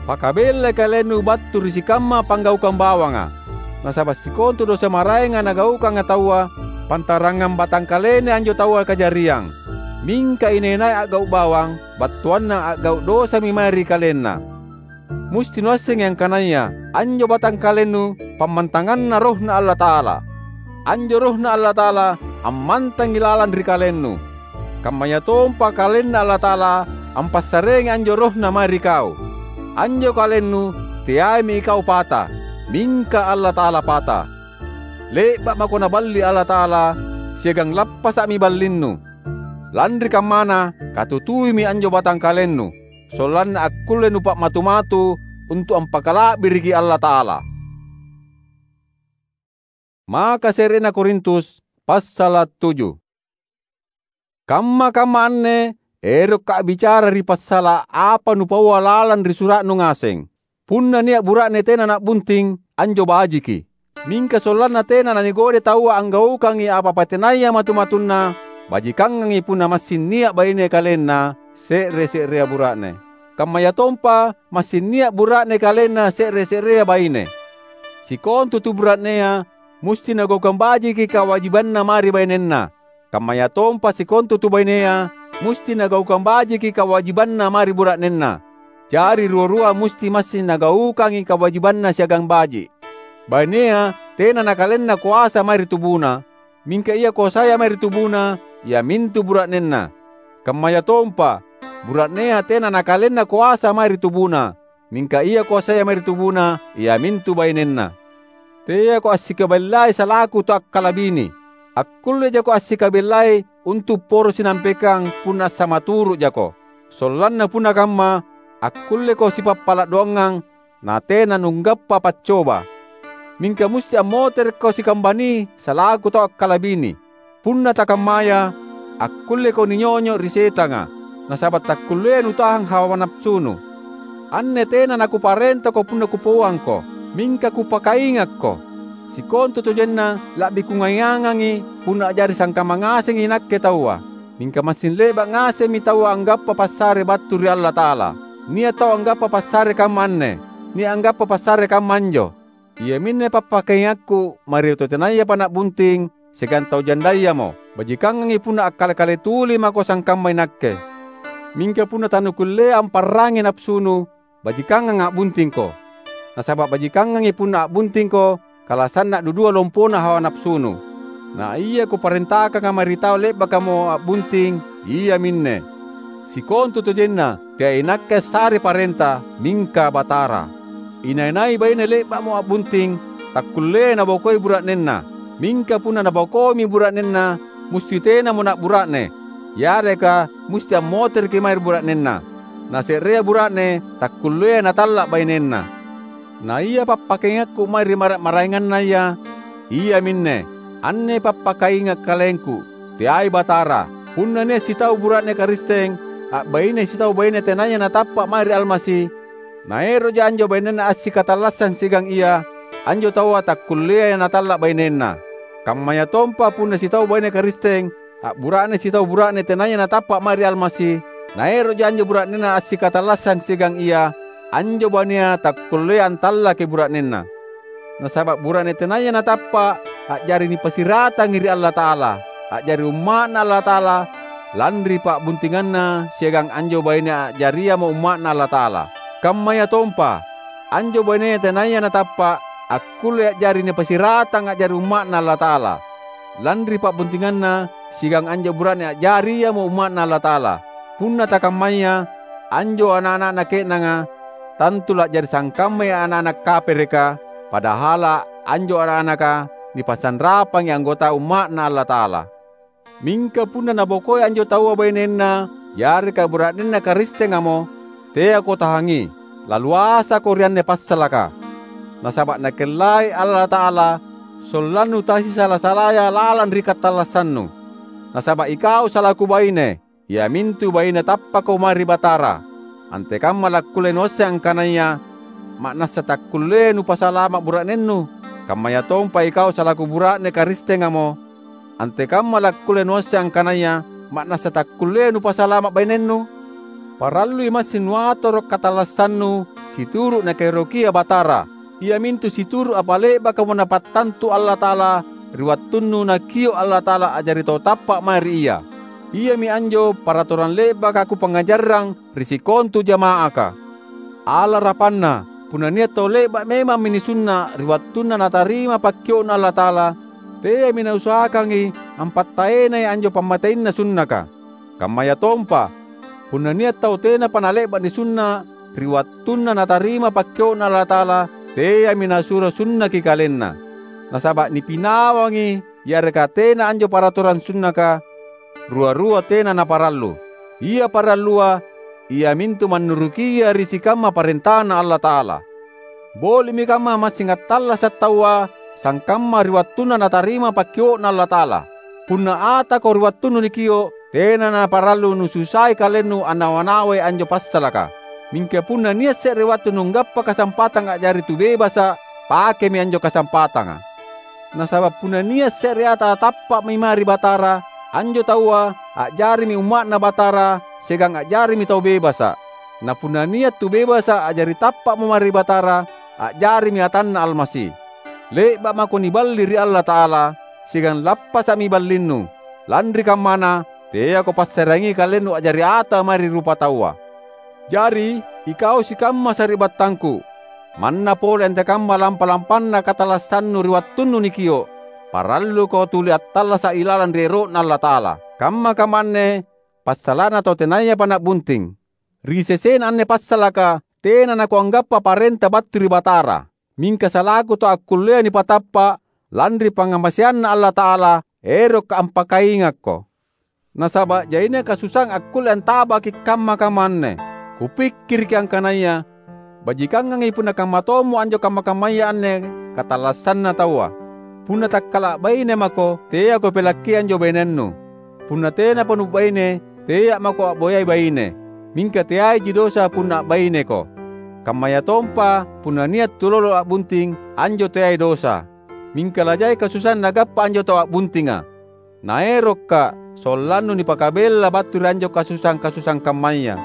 Pakabellai kalennu battu ri sikamma panggaukang bawanga. Nasaba’ sikontu dosa maraenga nagaukanga taua, pantarangang batangkalena anjo taua kajariang. Mingka inai-nai a'gau’ bawang, battuanna a'gau’ dosami mae ri kalenna. Musti nuassengi angkanaya anjo batangkalennu pammantanganna RohNa Allata'ala. Anjo RohNa Allata'ala ammantangi lalang ri kalennu. Kammayatompa KalenNa Allata'ala ampassareangi anjo RohNa mae ri kau. Anjo kalennu teaimi ikau pata, mingka Allata'ala pata. Le'ba’ mako Naballi Allata'ala, siagang lappasa'mi ballinnu. Lanri kammana, katutuimi anjo batangkalennu, sollanna akkulle nupa'matu-matu untu’ ampakala'biriki Allata'ala. Maka se'rena Korintus, passala’ tuju. Kamma-kamma anne erokka’ a'bicara ri passala’ apa nupaua lalang ri sura'nu ngaseng. Punna nia’ bura'ne tena na'bunting, anjo bajiki. Mingka sollanna tena nanigodai taua anggaukangi apa-apa tenaya matu-matunna, bajikangangi punna massing nia’ baine kalenna se're-se'rea bura'ne. Kammayatompa massing nia’ bura'ne kalenna se're-se'rea baine. Sikontu tu bura'nea musti nagaukang bajiki kawajibanna mae ri bainenna. Kammayatompa sikontu tu bainea musti nagaukang bajiki kawajibanna mae ri bura'nenna. Jari rua-rua musti massing nagaukangi kawajibanna siagang baji’. Bainea tena nakalenna koasa mae ri tubuna, mingka ia koasaya mae ri tubuna, iamintu bura'nenna. Kammayatompa, bura'nea tena nakalenna koasa mae ri tubuna, mingka ia koasaya mae ri tubuna, iamintu bainenna. Teako assikabellai salaku tu akkalabini. Akkullejako assikabellai untu’ poro sinampekang punna assamaturu'jako. Sollanna punna kamma, akkulleko sipappala’ doangang, natena nunggappa paccoba. Mingka musti ammoterekko sikambani salaku tau akkalabini. Punna takammaya, akkulleko ninyonyo’ ri setanga, nasaba’ takkulleai nutahang hawa napasunu. Anne tena nakuparentako punna kupauangko, mingka kupakaingakko. Sikontutojenna la'bi kungaingangangi punna a'jari sangkamma ngasengi inakke taua. Mingka massing le'ba’ ngasemmi taua anggappa passare battu ri Allata'ala. Nia’ tau anggappa passare kamma anne, nia’ anggappa passare kamma anjo. Iaminne pappakaingakku mae ri tau tenayapa na'bunting siagang tau jandayamo. Bajikangangi punna akkale-kale tuli mako sangkamma inakke. Mingka punna tanukulleai amparrangi napasunu, bajikangang a'buntingko. Nasaba’ bajikangangi punna a'buntingko kalasanna dudua lompona hawa napasunu. Na ia kuparentakanga mae ri tau le'bakamo a'bunting, iaminne: Sikontutojenna, teai inakke assarei parenta, mingka Batara. Inai-nai baine le'ba'mo a'bunting, takkulleai nabokoi bura'nenna. Mingka punna nabokoimi bura'nenna, musti tenamo na'bura'ne, yareka musti ammotereki mae ri bura'nenna. Na se'rea bura'ne takkulleai natalla’ bainenna. Na ia pappakaingakku mae ri mara’-maraengannaya, iaminne: Anne pappakainga’ kalengku, teai Batara. Punna nia’ sitau bura'ne Karisteng a'bainei sitau baine tenaya natappa’ mae ri Almasi, naero'ja anjo bainenna assikatallassang siagang ia, anjo taua takkulleai natalla’ bainenna. Kammayatompa punna sitau baine Karisteng a'bura'ne sitau bura'ne tenaya natappa’ mae ri Almasi, naero'ja anjo bura'nenna assikatallassang siagang ia, anjo bainea takkulleai antallaki bura'nenna. Nasaba’ bura'ne tenaya natappa’ a'jari nipasiratangi ri Allata'ala, a'jari umma'Na Allata'ala lanri pa'buntinganna siagang anjo baine a'jariamo umma'Na Allata'ala. Kammayatompa, anjo bainea tenaya natappa’ akkulle a'jari nipasiratang a'jari umma'Na Allata'ala, lanri pa'buntinganna siagang anjo bura'ne a'jari iamo umma'Na Allata'ala. Punna takammaya, anjo ana’-ana'na ke'nanga tantu la'jari sangkammai ana’-ana’ kapereka, padahal anjo ana’-anaka nipassanrapangi anggota umma'Na Allata'ala. Mingka punna nabokoi anjo taua bainenna yareka bura'nenna Karistengamo, teako tahangi, laluasako ri anne passalaka. Nasaba’ Nakellai Allata'ala sollannu tasisala-salaya lalang ri katallassannu. Nasaba’ ikau salaku baine, iamintu baine tappako mae ri Batara, antekamma lakkulle nuasseng angkanaya ma'nassa takkulleai nupasalama’ bura'nennu? Kammayatompa ikau salaku bura'ne Karistengamo, antekamma lakkulle nuasseng angkanaya ma'nassa takkulleai nupasalama’ bainennu? Parallui massing nuatoro’ katallassannu situru’ Nakaerokia Batara, iamintu situru’ apa le'bakamo Napattantu Allata'ala ri wattunnu Nakio’ Allata'ala a'jari tau tappa’ mae ri Ia. Iami anjo paratorang le'baka kupangngajarrang ri sikontu jama'aka. Alarapanna, punna nia’ tau le'ba’ memammi nisunna’ ri wattunna natarima pakkio'Na Allata'ala, teami nausahakangi ampattaenai anjo pammateinna sunnaka. Kammayatompa, punna nia’ tau tenapa nale'ba’ nisunna’ ri wattunna natarima pakkio'Na Allata'ala, teami nasuro sunnaki kalenna. Nasaba’ nipinawangi yareka tena anjo paratorang sunnaka, rua-rua tena naparallu. Ia parallua, iamintu mannurukia ri sikamma parentaNa Allata'ala. Boli'mi kamma massing attallasa’ taua sangkamma ri wattunna natarima pakkio'Na Allata'ala. Punna atako ri wattunnu nikio’, tena naparallu nususai kalennu annawa-nawai anjo passalaka. Mingka punna nia’ se're wattu nunggappa kasampatang a'jari tubebasa’, pakemi anjo kasampatanga. Nasaba’ punna nia’ se're ata tappa'mi mae ri Batara, anjo taua a'jarimi umma'Na Batara siagang a'jarimi tau bebasa’. Na punna nia’ tu bebasa’ a'jari tappa'mo mae ri Batara, a'jarimi atanNa Almasi. Le'ba’ mako niballi ri Allata'ala, siagang lappasa'mi ballinnu. Lanri kammana, teako passareangi kalennu a'jari ata mae ri rupataua. Jari, ikau sikamma sari'battangku, manna pole antekamma lampa-lampanna katallassannu ri wattunnu nikio’, paralluko tuli attallasa’ ilalang ri ero'Na Allata'ala. Kamma-kamma anne passala'na tau tenayapa na'bunting. Ri sesena anne passalaka tena nakuanggappa parenta battu ri Batara, mingka salaku tau akkullea nipatappa’ lanri pangngamaseanNa Allata'ala, erokka' ampakaingakko. Nasaba' jaina kasusaang akkulle antabaki' kamma-kamma anne. Kupikkiriki angkanaya bajikangangi punna kamma tommo anjo kamma-kammaya anne katallassanna taua. Punna takkala' baine mako, teako pelakki anjo bainennu. Punna tenapa nubaine, tea' mako a'boyai baine. Mingka teaiji dosa punna a'baineko. Kammayatompa punna nia' tulolo a'bunting, anjo teai dosa. Mingka lajai kasusaang nagappa anjo tau a'buntinga. Naerokka' sollannu nipakabella battu ri anjo kasusaang-kasusaang kammaya.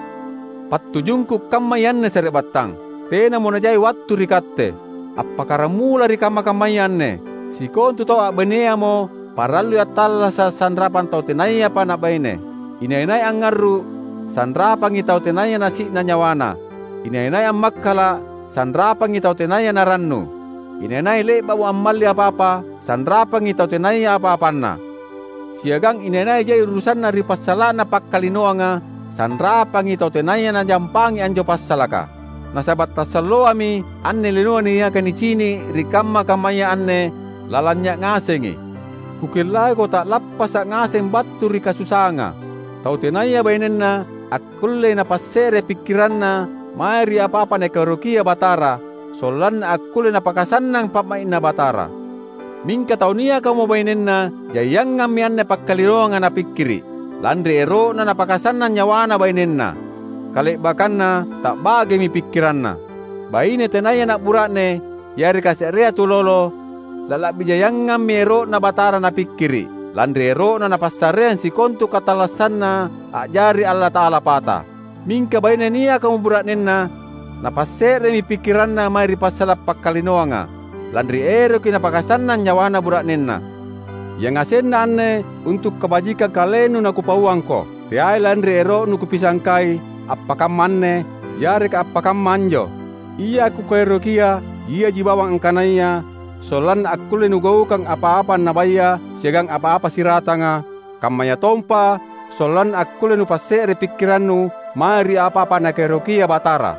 Pattujungku kammai anne sari'battang, tenamo najai wattu ri katte. Appakkaramula ri kamma-kammaya anne, sikontu tau a'baineamo parallui attallasa' sanrapang tau tenayapa nabaine. Inai-nai angngarru', sanrapangi tau tenaya nasi'na nyawana. Inai-nai ammakkala', sanrapangi tau tenaya narannu. Inai-nai le'ba'mo ammalli apa-apa, sanrapangi tau tenaya apa-apanna. Siagang inai-nai jai urusanna ri passala'na pakkalinoanga, sanrapangi tau tenaya najampangi anjo passalaka. Nasaba' tassalloami anne linoa niaka nicini' ri kamma-kammaya anne lalang nia' ngasengi. Kukellaiko ta'lappasa' ngaseng battu ri kasusaanga. Tau tenaya bainenna akkullei napasse're pikkiranna mae ri apa-apa Nakaerokia Batara, sollanna akkulle napakasannang pa'mai'Na Batara. Mingka tau niakamo bainenna, jaiangammi anne pakkalinoanga napikkiri', lanri ero'na napakasannang nyawana bainenna. Kale'bakkanna ta'bagemi pikkiranna. Baine tenaya ana' bura'ne, yareka se'rea tulolo, lala'bi jaiangammi ero'Na Batara napikkiri', lanri ero'na Napassareang sikontu katallassanna a'jari Allata'ala pata. Mingka baine niakamo bura'nenna, napasse'remi pikkiranna mae ri passala' pakkalinoanga, lanri eroki napakasannang nyawana bura'nenna. Yangasenna anne untu' kabajikang kalennu nakupauangko, teai lanri ero'nu kupisangkai appakamma anne yareka appakamma anjo. Ia kukaerokia, iaji bawang angkanaya sollanna akkulle nugaukang apa-apa annabaya siagang apa-apa siratanga, kammayatompa sollanna akkulle nupasse're pikkirannu mae ri apa-apa Nakaerokia Batara.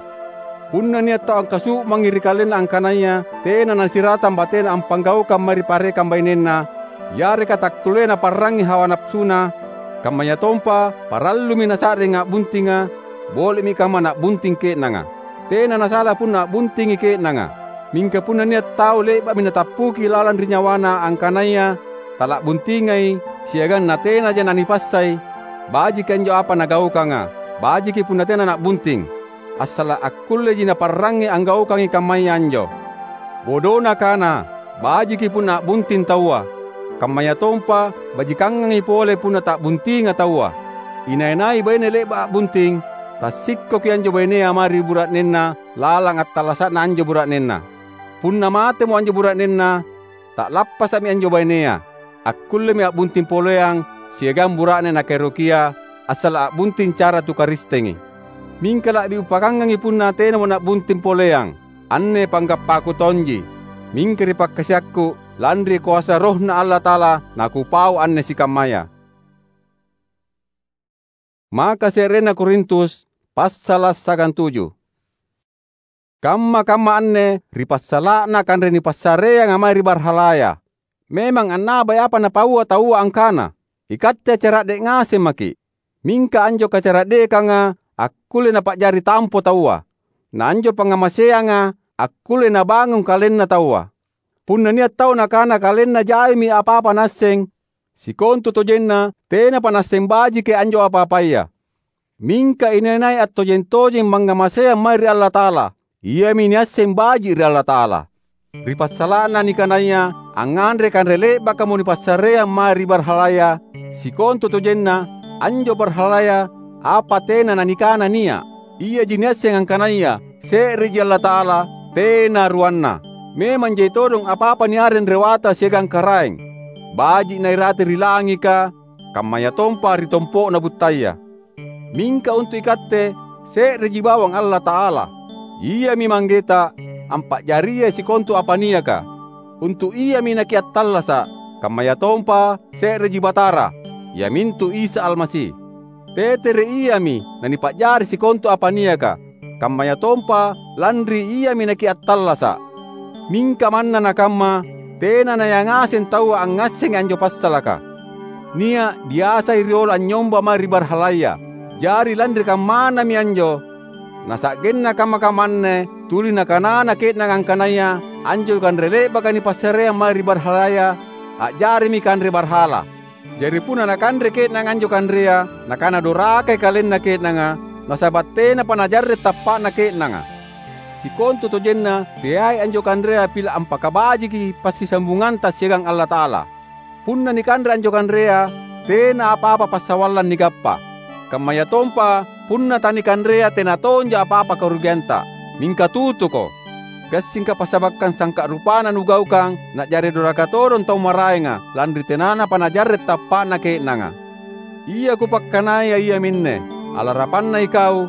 Punna nia' tau angkasu'mangi ri kalenna angkanaya tena nasiratang batena ampanggaukang mae ri parekang bainenna, yareka takkulleai naparrangngi hawa napasuna, kammayatompa parallumi nasa'ring a'buntinga, boli'mi kamma na'bunting ke'nanga. Tena nasala punna a'buntingi ke'nanga. Mingka punna nia' tau le'ba'mi natappuki lalang ri nyawana angkanaya tala'buntingai siagang natenaja nanipassai, bajiki anjo apa nagaukanga, bajiki punna tena na'bunting. Assala' akkulleji naparrangngi anggaukangi kammaya anjo. Bodona kana, bajiki punna a'bunting taua, kammayatompa bajikangangi pole punna ta'buntinga taua. Inai-nai baine le'ba' a'bunting, tassikkoki anjo bainea mae ri bura'nenna lalang attallasa'na anjo bura'nenna. Punna matemo anjo bura'nenna, ta'lappasa'mi anjo bainea, akkullemi a'bunting poleang siagang bura'ne nakaerokia, assala' a'bunting cara tu Karistengi. Mingka la'bi upakangangi punna tenamo na'bunting poleang. Anne panggappaku tonji, mingka ri pakkasiakku, lanri koasa RohNa Allata'ala nakupau anne sikammaya. Maka se'rena Korintus, passala' sagantuju. Kamma-kamma anne ri passala'na kanre nipassareanga mae ri barhalaya. Memang annabai apa napaua taua angkana, "Ikatte cara'de' ngaseng maki'." Mingka anjo kacara'dekanga akkulle napa'jari tampo taua, na anjo pangngamaseanga akkulle nabangung kalenna taua. Punna nia' tau nakana kalenna jaimi apa-apa naasseng, sikontutojenna tenapa naasseng bajiki anjo apa-apaya. Mingka inai-nai attojeng-tojeng mangngamaseang mae ri Allata'ala, iami niasseng baji' ri Allata'ala. Ri passala'na nikanaya angnganre kanre le'bakamo nipassareang mae ri barhalaya, sikontutojenna anjo barhalaya apa tena nanikana nia'. Iaji niasseng angkanaya se'reji Allata'ala, tena ruanna. Memang jai todong apa-apa niareng rewata siagang karaeng. Baji' nairate ri langika, kammayatompa ri tompo'na buttaya. Mingka untu' ikatte, se'reji bawang Allata'ala. Iami Manggeta, ampa'jariai sikontu apa niaka. Untu' Iami nakiattallasa', kammayatompa se'reji Batara, iamintu Isa Almasi. Tetere Iami nanipa'jari sikontu apa niaka, kammayatompa lanri Iami nakiattallasa'. Mingka manna nakamma, tena nayangaseng taua angngassengi anjo passalaka. nia’ biasai riolo anynyomba mae ri barhalaya. Jari lanri kammanami anjo, nasa'genna kamma-kamma anne tuli nakanana ke'nanga angkanaya anjo kanre le'baka nipassareang mae ri barhalaya a'jarimi kanre barhala. Jari punna nakanre ke'nanga anjo kanrea, nakana dorakai kalenna ke'nanga, nasaba’ tenapa najarre’ tappa'na ke'nanga. Sikontutojenna teai anjo kanrea pila’ ampakabajiki passisambunganta siagang Allata'ala. Punna nikanre anjo kanrea, tena apa-apa passawallang nigappa. Kammayatompa punna tanikanrea tena tonja apa-apa karugianta. Mingka tutuko! Gassingka passabakang sangka’ rupana nugaukang na'jari doraka todong tau maraenga, lanri tenanapa najarre’ tappa'na ke'nanga. Ia kupakkanaya iaminne: Alarapanna ikau,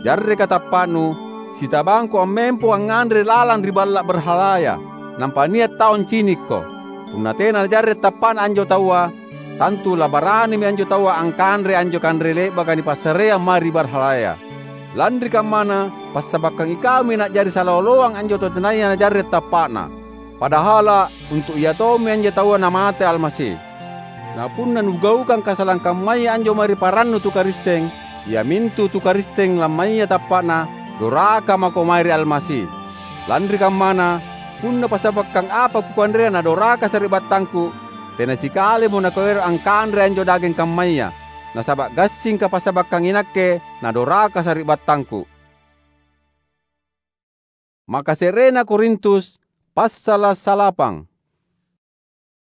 jarreka tappa'nu, sitabangko ammempo angnganre lalang ri balla’ barhalaya, nampa nia’ tau ancinikko. Punna tena najarre’ tappa'na anjo taua, tantu labaranimi anjo taua angkanre anjo kanre le'baka nipassareang mae ri barhalaya. Lanri kammana, passabakang ikaumi na'jari sala oloang anjo tau tenaya najarre’ tappa'na. Padahala’ untu’ ia tommi anjo taua namate Almasi. Na punna nugaukang kasalang kammaya anjo mae ri parannu tu Karisteng, iamintu tu Karisteng lammaya tappa'na, doraka mako mae ri Almasi. Lanri kammana, punna passabakang apa kukanrea nadoraka sari'battangku, tena sikalimo nakuero’ angkanre anjo dageng kammaya, nasaba’ gassingka passabakang inakke nadoraka sari'battangku. Maka se'rena Korintus, passala’ salapang.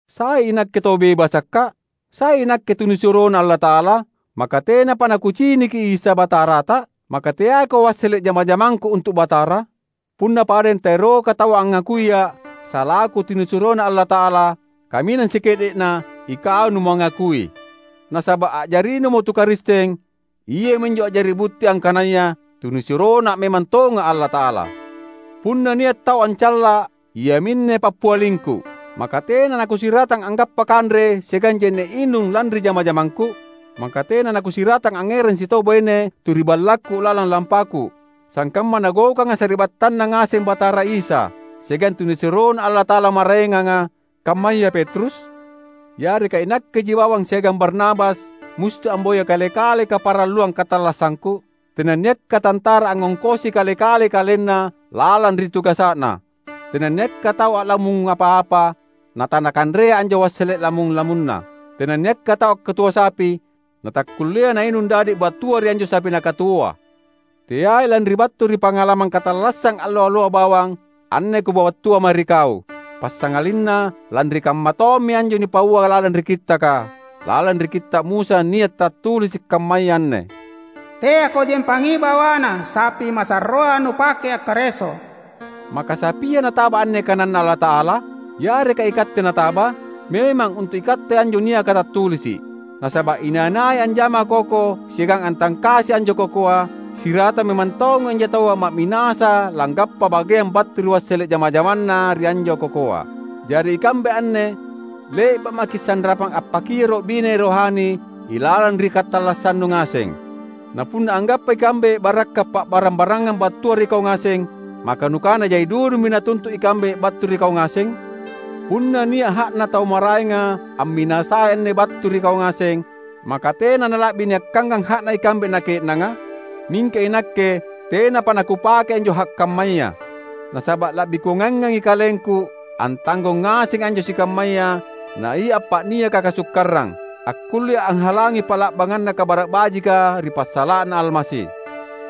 Sai inakke tau bebasakka’? Sai inakke tunisuroNa Allata'ala? Maka tenapa nakuciniki Isa Batarata? Maka teaiko wassele’ jama-jamangku untu’ Batara? Punna padeng taeroka tau angngakuiA’ salaku tunisuroNa Allata'ala, kaminang sike'de'na ikau numangakui. Nasaba’ a'jarinumo tu Karisteng, iaminjo a'jari butti angkanaya tunisuroNa memang tonga Allata'ala. Punna nia’ tau ancalla’, iaminne pappialingku, maka tena nakusiratang anggappa kanre siagang je'ne’ inung lanri jama-jamangku? Maka tena nakusiratang angngerang sitau baine tu ri ballakku lalang lampaku, sangkamma Nagaukanga sari'battanNa ngaseng Batara Isa siagang tunisuroNa Allata'ala maraenganga, kammaya Petrus? Yareka inakkeji bawang siagang Barnabas musti amboya kale-kale kaparalluang katallassangku? Tenanniakka tantara angngongkosi kale-kale kalenna lalang ri tugasa'na. Tenanniakka tau a'lamung apa-apa natanakanrea anjo wassele’ lamung-lamunna. Tenanniakka tau akkatuo sapi natakkullea nainung dadi’ battua ri anjo sapi nakatuoa. Teai lanri battu ri pangalamang katallassang allo-alloa bawang anne kupabattua mae ri kau, passangalinna lanri kamma tommi anjo nipaua lalang ri Kittaka, lalang ri Kitta’ Musa nia’ tattulisi’ kammaya anne, "Teako jempangi bawana sapi masarroa nupake akkareso." Maka sapia nataba anne kananNa Allata'ala? Yareka ikatte nataba? Memang untu’ ikatte anjo niaka tattulisi’. Nasaba’ inai-nai anjama koko siagang antangkasi anjo kokoa, sirata memang tongi anjo taua ma'minasa langgappa bageang battu ri wassele’ jama-jamanna ri anjo kokoa. Jari ikambe anne, le'ba’ maki’ sanrapang appakioro’ bine rohani ilalang ri katallassannu ngaseng. Na punna anggappa ikambe barakka’ pa'barang-barangang battua ri kau ngaseng, maka nukana jai dudummi natuntu’ ikambe battu ri kau ngaseng? Punna nia’ ha'na tau maraenga amminasai anne battu ri kau ngaseng, maka tena nala'bi niakkangang ha'na ikambe na ke'nanga? Mingka inakke tenapa nakupake anjo ha’ kammaya. Nasaba’ la'bi kuangangangi kalengku antanggong ngaseng anjo sikammaya na ia appa'niaka kasukkarang, akkullea anghalangi pa'la'banganna Kabara’ Bajika ri passala'na Almasi.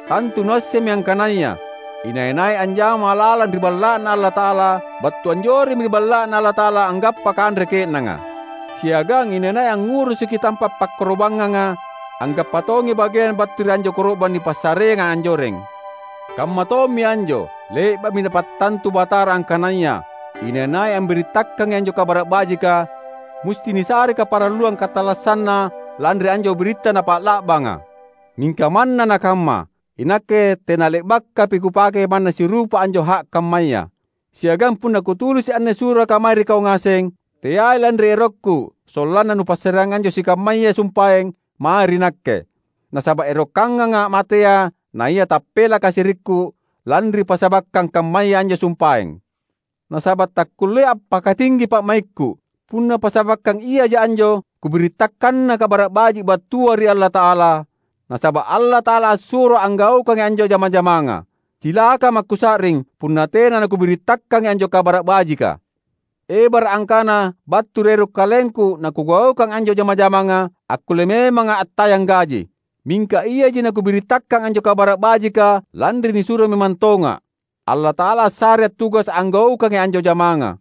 Tantu nuassemmi angkanaya inai-nai anjama lalang ri Balla'Na Allata'ala, battu anjoremmi ri Balla'Na Allata'ala anggappa kanre ke'nanga. Siagang inai-nai angngurusuki tampa’ pakkarobangnganga, anggappa tongi bageang battu ri anjo koro'bang nipassareanga anjoreng. Kamma tommi anjo, le'ba'mi Napattantu Batara angkanaya inai-nai ambirittakangi anjo Kabara’ Bajika, musti nisare kaparalluang katallassanna lanri anjo biritta napa'la'banga. Mingka manna nakamma, inakke tena le'bakapi kupake manna sirupa anjo ha’ kammaya. Siagang punna kutulisi’ anne suraka mae ri kau ngaseng, teai lanri erokku sollanna nupassareang anjo sikammaya sumpaeng mae ri nakke. Nasaba’ erokkanganga’ matea naia tappela kasirikku lanri pasabakkang kammaya anjo sumpaeng. Nasaba’ takkulleai appakatinggi pa'maikku, Punna passabakkang iaja anjo kubirittakkanna Kabara’ Baji’ battua ri Allata'ala, nasaba’ Allata'ala assuro anggaukangi anjo jama-jamanga. Cilaka makusa'ring punna tena nakubirittakkangi anjo Kabara’ Bajika! Ebara’ angkana battu ri ero’ kalengku nakugaukang anjo jama-jamanga, akkulle memanga attayang gaji. Mingka iaji nakubirittakang anjo Kabara’ Bajika lanri nisuro memang tonga’. Allata'ala assarei attugasa’ anggaukangi anjo jamanga.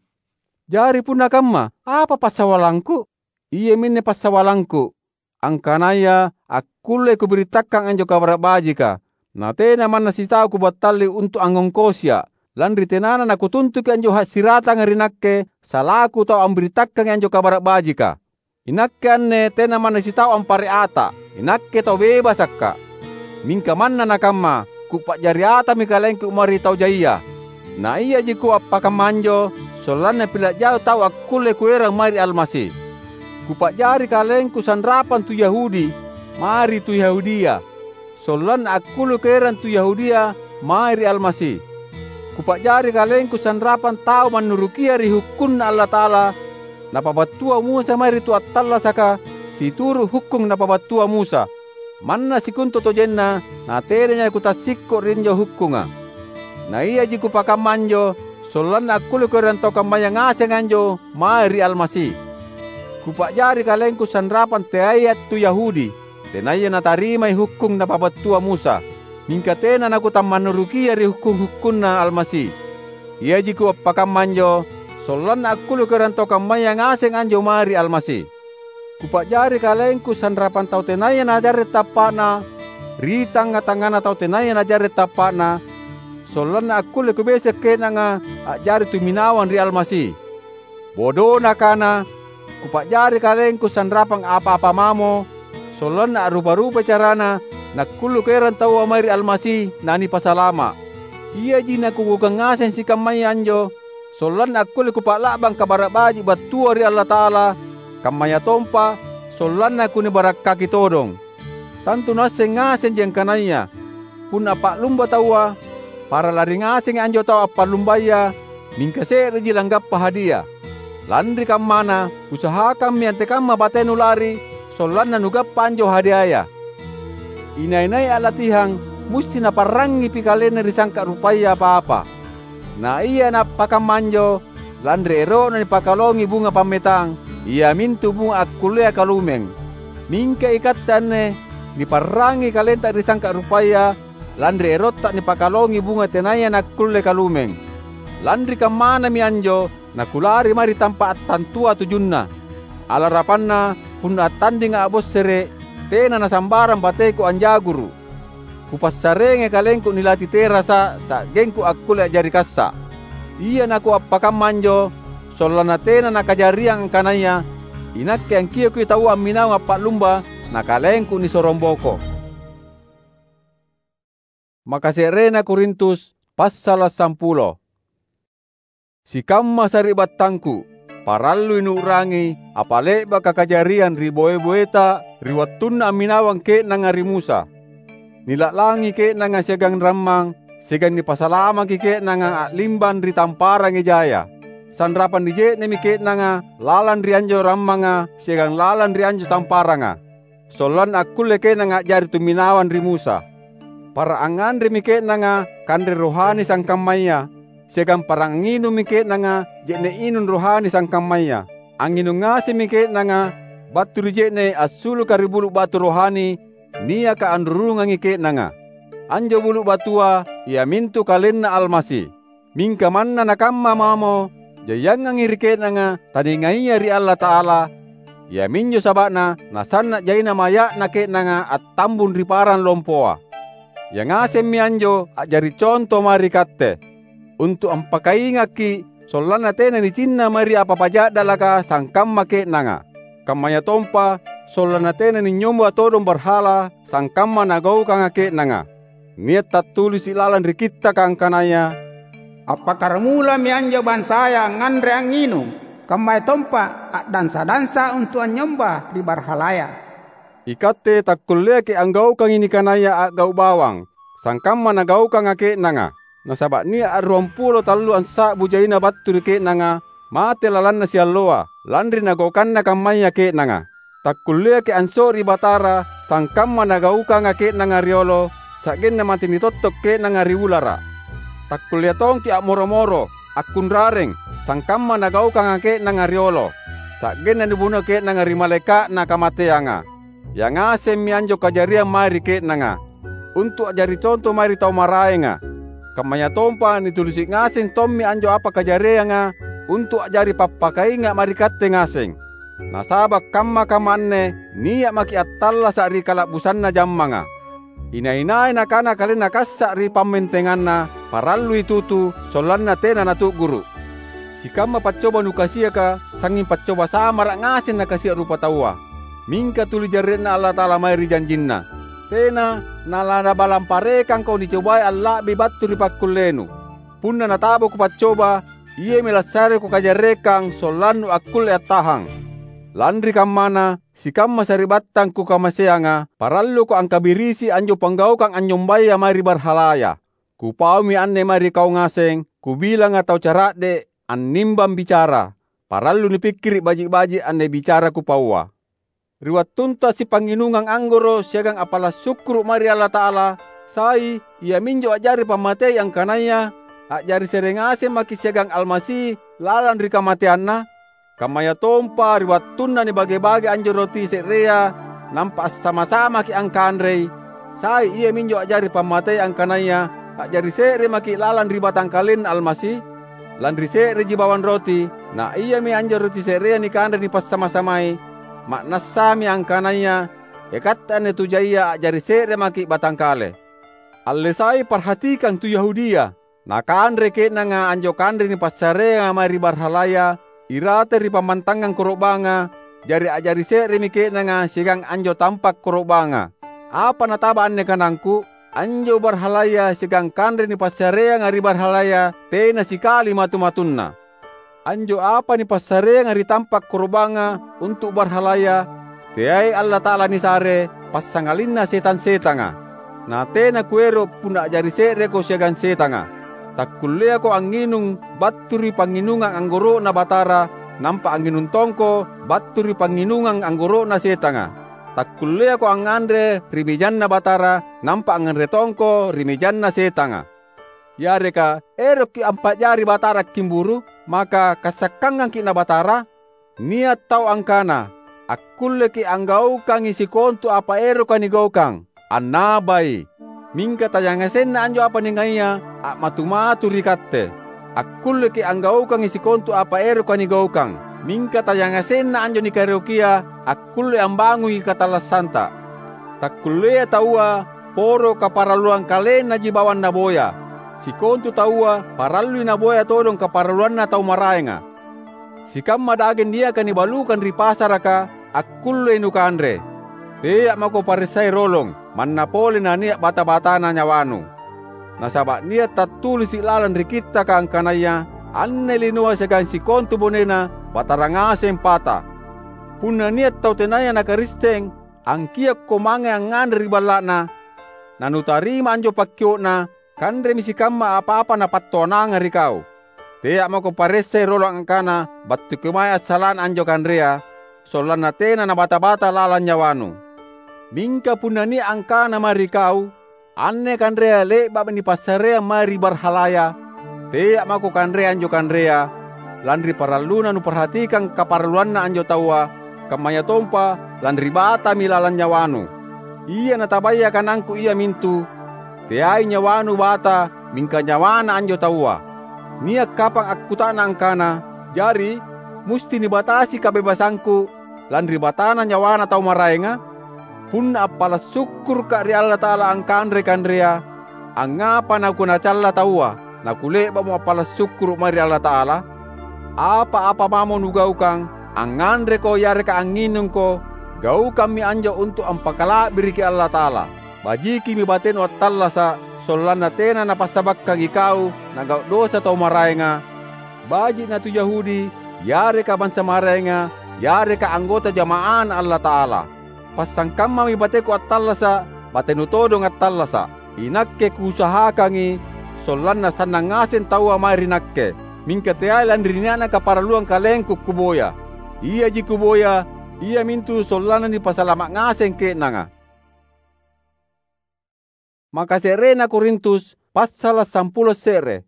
Jari punna kamma, apa passawallangku? Iaminne passawallangku, angkanaya akkullei kubirittakang anjo Kabara’ Bajika, natena manna sitau kubattalli untu’ angngongkosia’, lanri tenana nakutuntuki anjo hassiratanga ri nakke salaku tau ambirittakangi anjo Kabara’ Bajika. Inakke anne tena manna sitau ampare’ ata’, inakke tau bebasakka’. Mingka manna nakamma, kupa'jari atami kalengku mae ri tau jaia. Na iaji kuappakamma anjo sollanna pila’ jai tau akkulle kuerang mae ri Almasi. Kupa'jari kalengku sanrapang tu Yahudi mae ri tu Yahudia, sollanna akkulle kuerang tu Yahudia mae ri Almasi. Kupa'jari kalengku sanrapang tau mannurukia ri hukkunNa Allata'ala napabattua Musa mae ri tu attallasaka situru’ hukkung napabattua Musa. Manna sikontutojenna natenaya kutassikko’ ri anjo hukkunga. Na iaji kupakamma anjo sollanna akkulle kuerang tau kammaya ngaseng anjo mae ri Almasi. Kupa'jari kalengku sanrapang teaia tu Yahudi, tenaya natarimai hukkung napabattua Musa, mingka tena nakutammannurukia ri hukkung-hukkunNa Almasi. Iaji kuappakamma anjo sollanna akkulle kuerang tau kammaya ngaseng anjo mae ri Almasi. Kupa'jari kalengku sanrapang tau tenaya najarre’ tappa'na ri tangnga-tangngana tau tenaya najarre’ tappa'na, sollanna akkulle kubese’ ke'nanga a'jari tuminawang ri Almasi. Bodona kana, kupa'jari kalengku sanrapang apa-apa mamo, sollanna a'rupa-rupai carana nakkulle kuerang taua mae ri Almasi nanipasalama’. Iaji nakugaukang ngaseng sikammaya anjo, sollanna akkulle kupa'la'bang Kabara’ Baji’ battua ri Allata'ala, kammayatompa sollanna kunibarakkaki todong. Tantu nuasseng ngasenji angkanaya punna appa'lumba taua, para lari ngasengi anjo tau appa'lumbaya, mingka se'reji langgappa hadia. Lanri kammana, usahakammi antekamma batenu lari, sollanna nugappa anjo hadiaya. Inai-nai a'latihang musti naparrangngipi kalenna ri sangka’ rupaya apa-apa. Na ia nappakamma anjo lanri ero'na nipakalongi bunga pammetang, iamintu bunga akkullea kalumeng. Mingka ikatte anne niparrangngi kalenta ri sangka’ rupaya lanri erotta nipakalongi bunga tenaya nakkulle kalumeng. Lanri kammanami anjo nakulari mae ri tampa’ attantua tujunna. Alarapanna punna attandinga’ a'bossere’, tena nasambarang bateku anjaguru’. Kupassareangi kalengku nilati terasa sa'gengku akkulle a'jari kassa’. Ia nakuappakamma anjo sollanna tena nakajariang angkanaya inakke angkiokki taua amminawang appa'lumba na kalengku nisorongboko. Makase'rena Korintus, passala’ sampulo. Sikamma sari'battangku, parallui nuu'rangi apa le'baka kajariang ri boe-boeta ri wattunna amminawang ke'nanga ri Musa. Nila'langi ke'nanga siagang rammang, siagang nipasalamaki ke'nanga a'limbang ri tamparang ejaya. Sanrapang nije'nemi ke'nanga lalang ri anjo rammanga siagang lalang ri anjo tamparanga, sollanna akkulle ke'nanga a'jari tuminawang ri Musa. Para angnganremi ke'nanga kanre rohani sangkammaya, siagang para angnginummi ke'nanga je'ne’ inung rohani sangkammaya. Angnginung ngasemmi ke'nanga battu ri je'ne’ assuluka ri bulu’ batu rohani niaka anrurungangi ke'nanga. Anjo bulu’ batua iamintu KalenNa Almasi. Mingka manna nakamma mamo, jaiangangi ri ke'nanga taningaia ri Allata'ala, iaminjo saba'na nasanna’ jaina maya'na ke'nanga attambung ri parang lompoa. Ia ngasemmi anjo a'jari conto mae ri katte, untu’ ampakaingakki’ sollanna tena nicinna mae ri apa-apa ja'dalaka sangkamma ke'nanga, kammayatompa sollanna tena ninynyomba todong barhala sangkamma nagaukanga ke'nanga. Nia’ tattulisi’ lalang ri Kittaka angkanaya, "Appakkaramulami anjo bansaya angnganre angnginung, kammayatompa a'dansa-dansa untu’ anynyomba ri barhalaya." Ikatte takkulleaki’ anggaukangi nikanaya a'gau’ bawang, sangkamma nagaukanga ke'nanga. Nasaba’ nia’ ruampulo tallu ansa'bu jaina battu ri ke'nanga mate lalanna sialloa, lanri nagaukanna kammaya ke'nanga. Takkulleaki' anso'ri Batara sangkamma nagaukanga ke'nanga riolo, sa'genna mate nitotto' ke'nanga ri ulara'. Takkulleai tongki' a'moro-moro, akkunrareng, sangkamma nagaukanga ke'nanga riolo, sa'genna nibunoi ke'nanga ri malaeka'na kamateanga. Yangasemmi anjo kajariang mae ri ke'nanga, untu' a'jari conto mae ri tau maraenga. Kammayatompa nitulisi' ngaseng tommi anjo apa kajarianga untu' a'jari pappakainga' mae ri katte ngaseng. Nasaba' kamma-kamma anne nia' maki' attallasa' ri kala'busanna jammanga. Inai-nai nakana kalenna kassa' ri pammentenganna, parallui tutu, sollanna tena natu'guru'. Sikamma paccoba nukasiaka, sangnging paccoba samara' ngaseng nakasia' rupataua. Mingka tuli jarre'na Allata'ala mae ri janjinNa. Tena nalanabalang parekangko nicobai alla'bi battu ri pakkullenu. Punna natabako paccoba, iami lassareko kajarrekang sollannu akkulle attahang. Lanri kammana, sikamma sari'battang kukamaseanga, paralluko angkabirisi anjo panggaukang anynyombaya mae ri barhalaya. Kupaumi anne mae ri kau ngaseng, kubilanga tau cara'de' annimbang bicara. Parallu nipikkiri' baji'-baji' anne bicara kupaua. Ri wattunta sipangnginungang anggoro' siagang appala' sukkuru' mae ri Allata'ala, sai, iaminjo a'jari pammatei angkanaya a'jari se're ngaseng maki' siagang Almasi lalang ri kamateanNa? Kammayatompa ri wattunna nibage-bage anjo roti se'rea nampa assama-samaki' angkanrei, sai iaminjo a'jari pammatei angkanaya a'jari se're maki' lalang ri batangkalenNa Almasi? Lanri se'reji bawang roti, na iami anjo roti se'rea nikanre nipassama-samai, ma'nassami angkanaya ikatte anne tu jaia a'jari se're maki' batangkale. Alle sai parhatikang tu Yahudia. Nakanre ke'nanga anjo kanre nipassareanga mae ri barhalaya irate ri pammantangang koro'banga, jari a'jari se'remi ke'nanga siagang anjo tampa' koro'banga. Apa nataba anne kanangku? Anjo barhalaya siagang kanre nipassareanga ri barhalaya tena sikali matu-matunna. Anjo apa nipassareanga ri tampa' koro'banga untu' barhalaya, teai Allata'ala nisare, passangalinna setang-setanga. Na tena kuero' punna a'jari se'reko siagang setanga. Takkulleako angnginung battu ri pangnginungang anggoro'Na Batara, nampa angnginung tongko battu ri pangnginungang anggoro'na setanga. Takkulleako angnganre ri mejanna Batara, nampa angnganre tongko ri mejanna setanga. Yareka erokki' ampa'jari Batara kimburu', maka kassakkangangki' na Batara? Nia' tau angkana, "Akkulleki' anggaukangi sikontu apa eroka nigaukang, annabai." Mingka tayangasenna anjo apa ningaia a'matu-matu ri katte. Akkulleki' anggaukangi sikontu apa eroka nigaukang, mingka tayangasenna anjo nikaerokia akkulle ambangungi katallassanta. Takkulleai taua poro kaparalluang kalennaji bawang naboya. Sikontu taua parallui naboya todong kaparalluanna tau maraenga. Sikamma dageng niaka nibalukang ri pasaraka akkullei nukanre. Tea' mako paressai rolong, manna pole nania' bata-batana nyawanu. Nasaba' nia' tattulisi' lalang ri Kittaka angkanaya, "Anne linoa siagang sikontu bonena Batara ngaseng pata." Punna nia' tau tenaya na Karisteng, angkiokko mange angnganre ri balla'na, nanutarima anjo pakkio'na, kanremi sikamma apa-apa napattoananga ri kau. Tea' mako paressai rolong angkana battuki mae assala'na anjo kanrea, sollanna tena nabata-bata lalang nyawanu. Mingka punna nia' angkana mae ri kau, "Anne kanrea le'ba'mi nipassareang mae ri barhalaya," tea' mako kanre anjo kanrea, lanri paralluna nuparhatikang kaparalluanna anjo taua, kammayatompa lanri batami lalang nyawanu. Ia natabaya kanangku iamintu, "Teai nyawanu bata, mingka nyawana anjo taua." Nia' kapang akkuta'nang angkana, "Jari, musti nibatasi kabebasangku lanri batana nyawana tau maraenga?" Punna appala' sukkuruka' ri Allata'ala angkanrei kanrea, angngapa nakunacalla taua, nakule'ba'mo appala' sukkuru' mae ri Allata'ala? Apa-apa mamo nugaukang, angnganreko yareka angnginungko, gaukammi anjo untu' ampakala'biriki Allata'ala. Bajikimi batenu attallasa', sollanna tena napassabakkangi kau nagau' dosa tau maraenga, baji' na tu Yahudi, yareka bansa maraenga, yareka anggota jama'aNa Allata'ala. Passangkammami bateku attallasa', batenu todong attallasa'. Inakke kuusahakangi sollanna sannang ngaseng taua mae ri nakke. mingka teai lanri nia'na kaparalluang kalengku kuboya. Iaji kuboya, iamintu sollanna nipasalama' ngaseng ke'nanga. Makase'rena Korintus, passala' sampulo se're.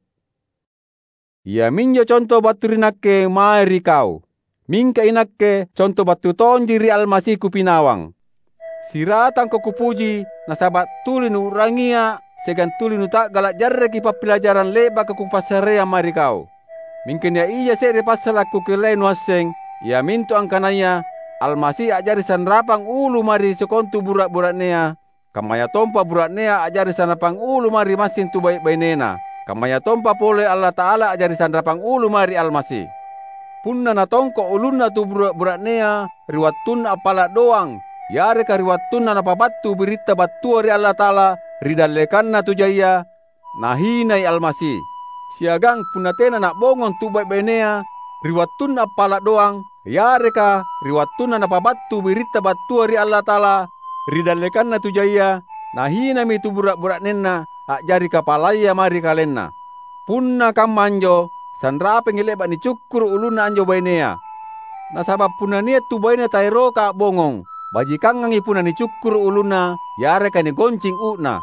Iaminjo conto battu ri nakke mae ri kau. Mingka inakke conto battu tonji ri Almasi kupinawang. Siratangko kupuji, nasaba' tuli nuu'rangia' siagang tuli nuta'gala' jarreki pappilajarang le'baka kupassareang mae ri kau. Mingka nia' ija se're passala' kukellaia nuasseng, iamintu angkanaya Almasi a'jari sanrapang ulu mae ri sikontu bura'-bura'nea, kammayatompa bura'nea a'jari sanrapang ulu mae ri massing tu bai'-bainena, kammayatompa pole Allata'ala a'jari sanrapang ulu mae ri Almasi. Punna natongko' ulunna tu bura'-bura'nea ri wattunna appala' doang, yareka ri wattunna napabattu biritta battua ri Allata'ala ri dallekanna tu jaia, nahinai Almasi. Siagang punna tena na'bongong tu bai'-bainea ri wattunna appala' doang, yareka ri wattunna napabattu biritta battua ri Allata'ala ri dallekanna tu jaia, nahinami tu bura'-bura'nenna a'jari kapalaya mae ri kalenna. Punna kamma anjo, sanrapangi le'ba' nicukkuru' ulunna anjo bainea. Nasaba' punna nia' tu baine taeroka a'bongong, bajikangangi punna nicukkuru' ulunna yareka nigoncing u'na,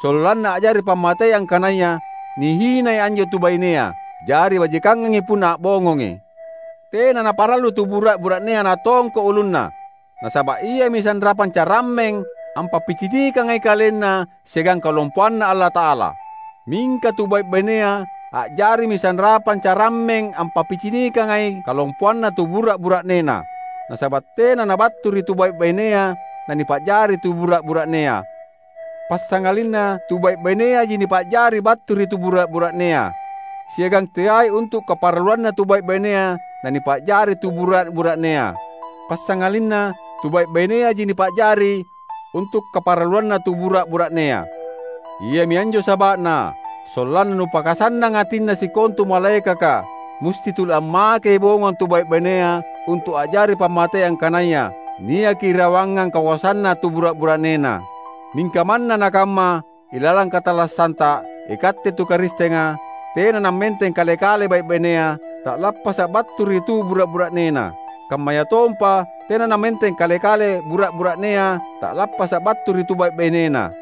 sollanna a'jari pammatei angkanaya nihinai anjo tu bainea, jari bajikangangi punna a'bongongi. Tena naparallu tu bura'-bura'nea natongko' ulunna, nasaba' iami sanrapang carammeng ampappicinikangai kalenna siagang kalompoanNa Allata'ala. Mingka tu bai'-bainea a'jarimi sanrapang carammeng ampappicinikangai kalompoanna tu bura'-bura'nena, nasaba' tena nabattu ri tu bai'-bainea nanipa'jari tu bura'-bura'nea. Passangalinna tu bai'-baineaji nipa'jari battu ri tu bura'-bura'nea, siagang teai untu' kaparalluanna tu bai'-bainea nanipa'jari tu bura'-bura'nea. Passangalinna tu bai'-baineaji nipa'jari untu' kaparalluanna tu bura'-bura'nea. Iami anjo saba'na, sollanna nupakasannang atinna sikontu malaekaka, musti tuli ammakei bongong tu bai'-bainea untu' a'jari pammatei angkanaya niaki irawangang kakoasanna tu bura'-bura'nena. Mingka manna nakamma, ilalang katallassanta, ikatte tu Karistenga, tena nammenteng kale-kale bai'-bainea ta'lappasa' battu ri tu bura'-bura'nena, kammayatompa tena nammenteng kale-kale bura'-bura'nea ta'lappasa' battu ri tu bai'-bainena.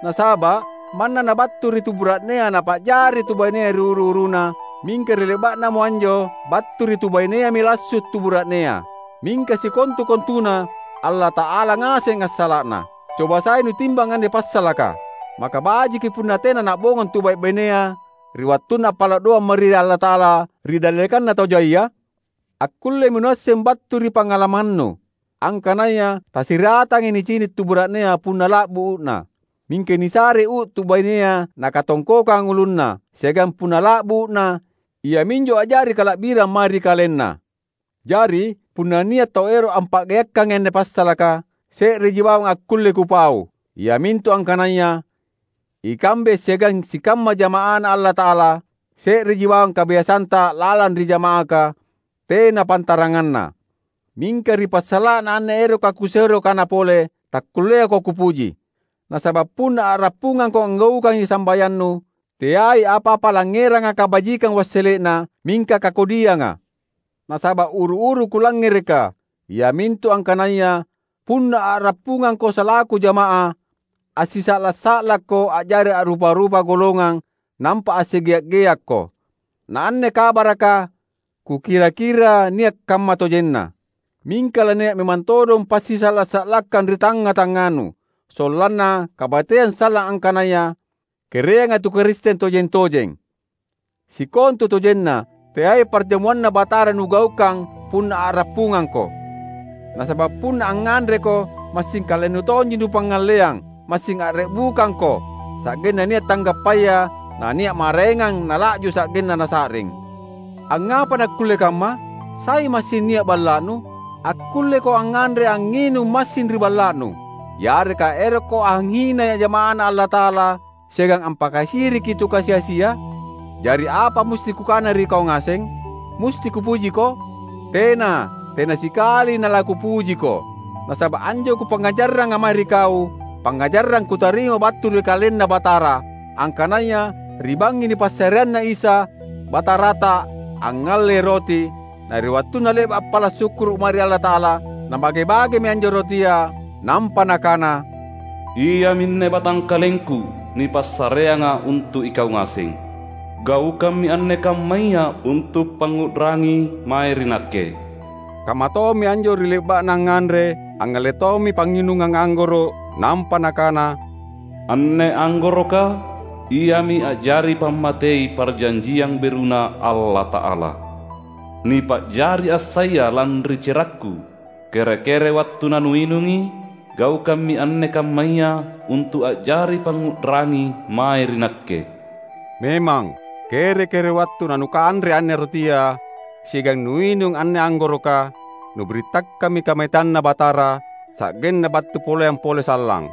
Nasaba' manna nabattu ri tu bura'nea napa'jari tu bainea ri uru-uruna, mingka ri le'ba'namo anjo battu ri tu baineami lassu' tu bura'nea. Mingka sikontu-kontuna, Allata'ala ngaseng assala'na. Coba sai nutimbang anne passalaka. Maka bajiki punna tena na'bongong tu bai'-bainea ri wattunna appala' doang mae ri Allata'ala ri dallekanna tau jaia? Akkullemi nuasseng battu ri pangalamannu, angkanaya tasiratangi nicini' tu bura'nea punna la'bu u'na. Mingka nisare u' tu bainea nakatongkokang ulunna, siagang punna la'bu u'na, iaminjo a'jari kala'birang mae ri kalenna. Jari, punna nia' tau ero' ampa'geakkangi anne passalaka, se'reji bawang akkulle kupau, iamintu angkanaya, ikambe siagang sikamma jama'aNa Allata'ala, se'reji bawang kabiasanta lalang ri jama'aka, tena pantaranganna. Mingka ri passala'na anne eroka kusero kana pole, takkulleako kupuji. Nasaba' punna a'rappungangko anggaukangi sambayannu, teai apa-apa langngeranga kabajikang wassele'na, mingka kakodianga. Nasaba' uru-uru kulangngereka, iamintu angkanaya punna a'rappungangko salaku jama'ah, assisa'la'-sa'lakko a'jari a'rupa-rupa golongang nampa assigea'-geakko. Na anne kabaraka kukira-kira nia' kamma tojenna. Mingka lania' memang todong passisa'la'-sa'lakkang ri tangnga-tangnganu, sollanna kabateang sallang angkanaya kereanga tu Karisteng tojeng-tojeng. Sikontutojenna, teai parjamuanNa Batara nugaukang punna a'rappungangko. Nasaba' punna angnganreko, massing kalennu tonji nupangngalleang, massing a're'bukangko, sa'genna nia' tanggappaya, nania' maraengang nala'ju sa'genna nasa'ring. Angngapa nakkulle kamma? Sai massing nia' balla'nu? Akkulleko angnganre angnginung massing ri balla'nu, yareka erokko anghinai jama'aNa Allata'ala siagang ampakasiriki tu kasi-asia? Jari apa musti kukana ri kau ngaseng? Musti kupujiko? Tena, tena sikali nalakupujiko! Nasaba' anjo kupangngajarranga mae ri kau, pangngajarrang kutarima battu ri KalenNa Batara, angkanaya ri bangngi nipassareanNa Isa, Batarata, angngallei roti, na ri wattunna le'ba’ appala’ sukkuru’ mae ri Allata'ala, Nabage-bagemi anjo rotia, nampa Nakana, "Iaminne batangkalengKu nipassareanga untu’ ikau ngaseng. Gaukammi anne kammaya untu’ pangngu'rangi mae ri Nakke." Kamma tommi anjo ri le'ba'na angnganre, angngalle tommi pangnginungang anggoro’, nampa Nakana, "Anne anggoroka iami a'jari pammatei parjanjiang beruNa Allata'ala. Nipa'jari assaya lanri cerakKu. Kere-kere wattu nanuinungi, gaukammi anne kammaya untu’ a'jari pangngu'rangi mae ri Nakke." Memang, kere-kere wattu nanukanre anne rotia siagang nuinung anne anggoroka, nubirittakkammi kamaitanNa Batara, sa'genna battu poleang pole sallang.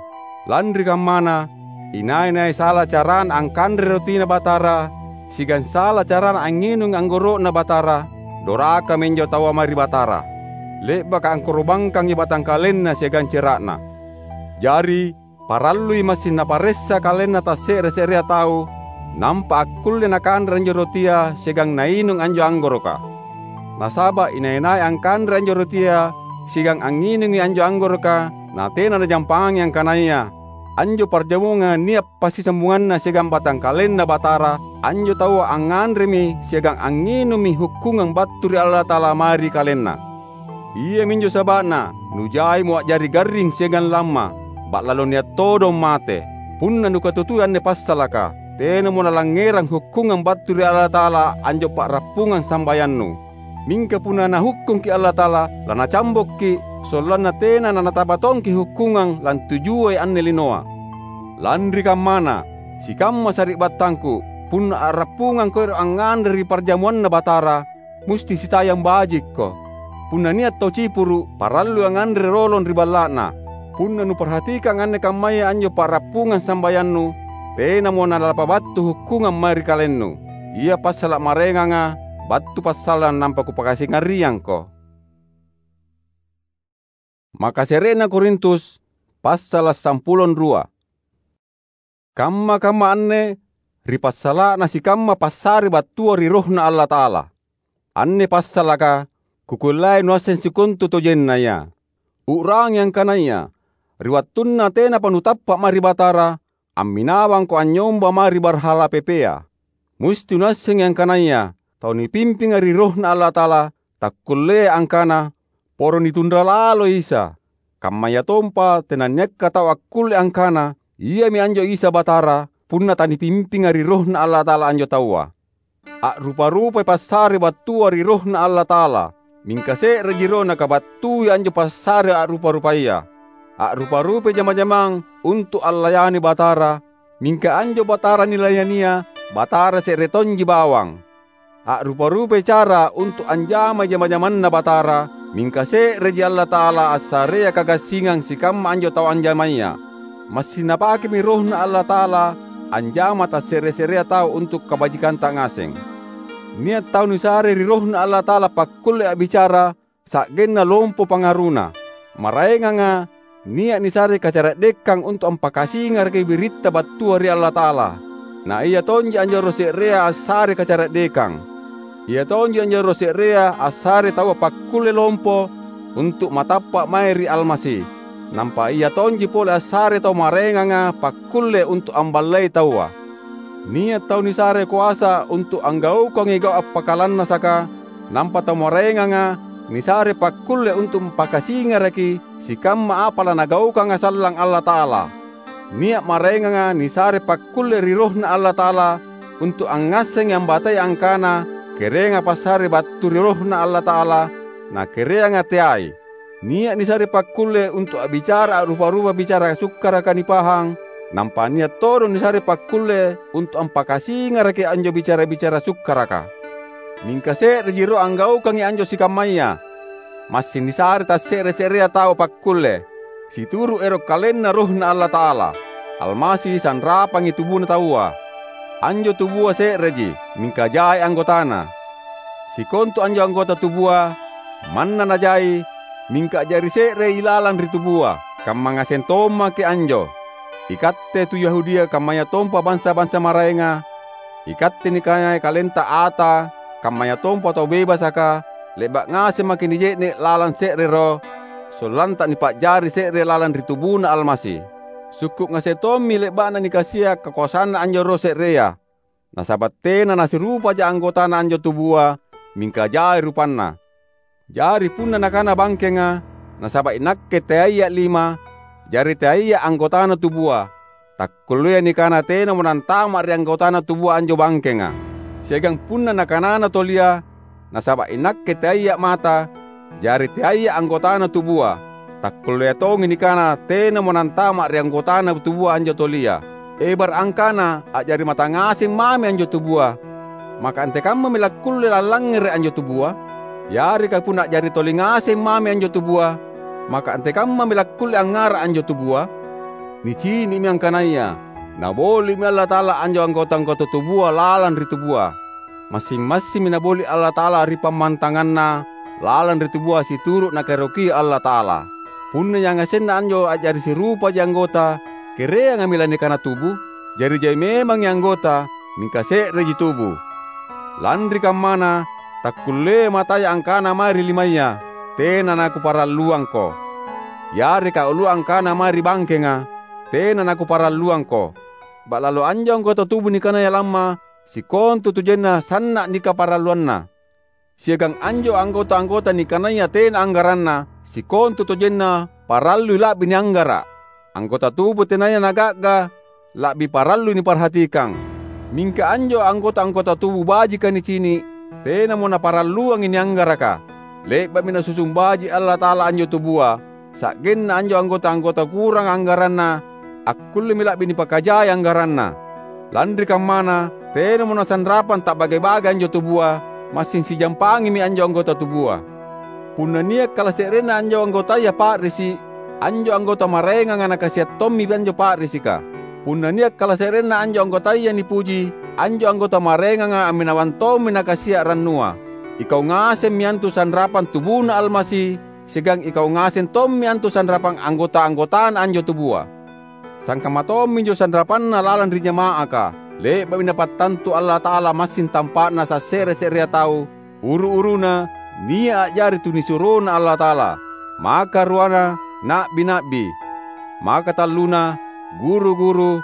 Lanri kammana, inai-nai sala carana angkanre rotiNa Batara, siagang sala carana angnginungi anggoro'Na Batara, dorakami anjo taua mae ri Batara. Le'baka angkoro'bangkangi batangkalenna siagang cera'na. Jari, parallui massing naparessa kalenna tasse're-se'rea tau, nampa akkulle nakanre anjo rotia siagang nainung anjo anggoroka. Nasaba’ inai-nai angkanre anjo rotia siagang angnginungi anjo anggoroka, natena najampangi angkanaya anjo parjamunganga nia’ passisambunganna siagang batangkalenNa Batara, anjo taua angnganremi siagang angnginummi hukkungang battu ri Allata'ala mae ri kalenna. Iaminjo saba'na nujaimo a'jari garring siagang lamma, ba'lalo nia’ todong mate. Punna nukatutui anne passalaka, tenamo nalangngerang hukkungang battu ri Allata'ala anjo pa'rappungang sambayannu. Mingka punna Nahukkungki’ Allata'ala, laNacambokki’, sollanna tena nanataba tongki’ hukkungang lantujuai anne linoa. Lanri kammana, sikamma sari'battangku, punna a'rappungangko ero’ angnganre ri parjamuanNa Batara, musti sitayang bajikko. Punna nia’ tau cipuru’, parallui angnganre rolong ri balla'na. Punna nuparhatikang anne kammaya anjo pa'rappungang sambayannu, tenamo nalapabattu hukkungang mae ri kalennu. Ia passala’ maraenganga battu passallang nampa kupakasingariangko. Makase're'na Korintus, passala’ sampulo rua. Kamma-kamma anne ri passala'na sikamma passare battua ri RohNa Allata'ala. Anne passalaka kukullai nuasseng sikontu tojennaya. U'rangi angkanaya ri wattunna tenapa nutappa’ mae ri Batara, amminawangko anynyomba mae ri barhala pepea. Musti nuassengi angkanaya tau nipimpinga ri RohNa Allata'ala takkulleai angkana, "Poro nitunra laloi Isa." Kammayatompa tenanniakka tau akkulle angkana, "Iami anjo Isa Batara," punna tanipimpinga ri RohNa Allata'ala anjo taua. A'rupa-rupai passare battua ri RohNa Allata'ala, mingka se'reji ro nakabattui anjo passare a'rupa-rupaya. A'rupa-rupai jama-jamang untu’ allayani Batara, mingka anjo Batara nilayania, Batara se're tonji bawang. A'rupa-rupai cara untu’ anjamai jama-jamanNa Batara, mingka se'reji Allata'ala assarea kagassingang sikamma anjo tau anjamaya. Massing Napakemi RohNa Allata'ala anjama tasse're-se'rea tau untu’ kabajikanta ngaseng. Nia’ tau nisare ri RohNa Allata'ala pakkulle a'bicara sa'genna lompo pangaruna. Maraenganga nia’ nisare kacara'dekang untu’ ampakasingaraki biritta battua ri Allata'ala. Na ia tonji anjo roh se'rea assare kacara'dekang. Ia tonji anjo roh se'rea assare taua pakkulle lompo untu’ matappa’ mae ri Almasi. Nampa ia tonji pole assare tau maraenganga pakkulle untu’ amballei taua. Nia’ tau nisare koasa untu’ anggaukangi gau’ appakalannasaka, nampa tau maraenganga nisare pakkulle untu’ ampakasingaraki sikamma apa lanagaukanga sallang Allata'ala. Nia’ maraenganga nisare pakkulle ri RohNa Allata'ala untu’ angngassengi ambatai angkana kereanga passare battu ri RohNa Allata'ala, na kereanga teai. Nia’ nisare pakkulle untu’ a'bicara a'rupa-rupa bicara sukkaraka nipahang, nampa nia’ todong nisare pakkulle untu’ ampakasingaraki anjo bicara-bicara sukkaraka. Mingka se'reji ro anggaukangi anjo sikammaya. Massing nisare tasse're-se'rea tau pakkulle, situru’ ero’ kalenna RohNa Allata'ala. Almasi sanrapangi tubuna taua. Anjo tubua se'reji, mingka jai anggotana. Sikontu anjo anggota tubua, manna najai, mingka a'jari se'rei ilalang ri tubua. Kamma ngaseng tommaki anjo. Ikatte tu Yahudia kammayatompa bansa-bansa maraenga, Ikatte nikanaya kalenta ata, kammayatompa tau bebasaka, le'ba’ ngaseng maki’ nije'ne’ lalang se're roh, sollanta nipa'jari se're lalang ri tubuNa Almasi. Sukku’ ngaseng tommi le'ba'na nikasia’ kakoasanna anjo Roh se'rea. Nasaba’ tena nasirupaja anggotana anjo tubua, mingka jai rupanna. Jari punna nakana bangkenga, "Nasaba’ inakke teaiya’ lima, jari teaiya’ anggotana tubua," takkulleai nikana tenamo nantama’ ri anggotana tubua anjo bangkenga. Siagang punna nakanana tolia, "Nasaba’ inakke teaiya’ mata, jari teaiya’ anggotana tubua," takkulleai tongi nikana tenamo nantama’ ri anggotana tubua anjo tolia. Ebara’ angkana a'jari mata ngaseng mami anjo tubua, maka antekammami lakkulle lallangngere’ anjo tubua? Yareka punna a'jari toli ngaseng mami anjo tubua, maka antekammami lakkulle angngara’ anjo tubua? Nicini'mi angkanaya Naboli'mi Allata'ala anjo anggota-anggota tubua lalang ri tubua. Massing-massimmi Naboli’ Allata'ala ri pammantanganna lalang ri tubua situru’ Nakaerokia Allata'ala. Punna yangasenna anjo a'jari sirupaji anggota, kereangami lanikana tubu? Jari jai memangi anggota, mingka se'reji tubu. Lanri kammana, takkulleai mataya angkana mae ri limaya, "Tena nakuparalluangko." Yareka ulua angkana mae ri bangkenga, "Tena nakuparalluangko." Ba'lalo anjo anggota tubu nikanaya lamma, sikontutojenna sanna’ nikaparalluanna. Siagang anjo anggota-anggota nikanaya tena anggaranna, sikontutojenna parallui la'bi nianggara’. Anggota tubu tenaya naga'ga la'bi parallui niparhatikang. Mingka anjo anggota-anggota tubu bajika nicini’, tenamo naparalluangi nianggaraka. Le'ba'mi Nasusung baji’ Allata'ala anjo tubua, sa'genna anjo anggota-anggota kuranga anggaranna akkullemi la'bi nipakajai anggaranna. Lanri kammana, tenamo nasanrapang ta'bage-bage anjo tubua, massing sijampangimi anjo anggota tubua. Punna nia’ kalase'renna anjo anggotaya pa'risi’, anjo anggota maraenganga nakasia’ tommi anjo pa'risika. Punna nia’ kalase'renna anjo anggotaya nipuji, anjo anggota maraenganga amminawang tommi nakasia’ rannua. Ikau ngasemmi antu sanrapang tubuNa Almasi, siagang ikau ngaseng tommi antu sanrapang anggota-anggotana anjo tubua. Sangkamma tomminjo sanrapanna lalang ri jama'aka. Le'ba'mi Napattantu Allata'ala massing tampa'na sasse're-se'rea tau, uru-uruna, nia’ a'jari tunisuroNa Allata'ala, maka ruana, na'bi-na'bi, maka talluna, guru-guru,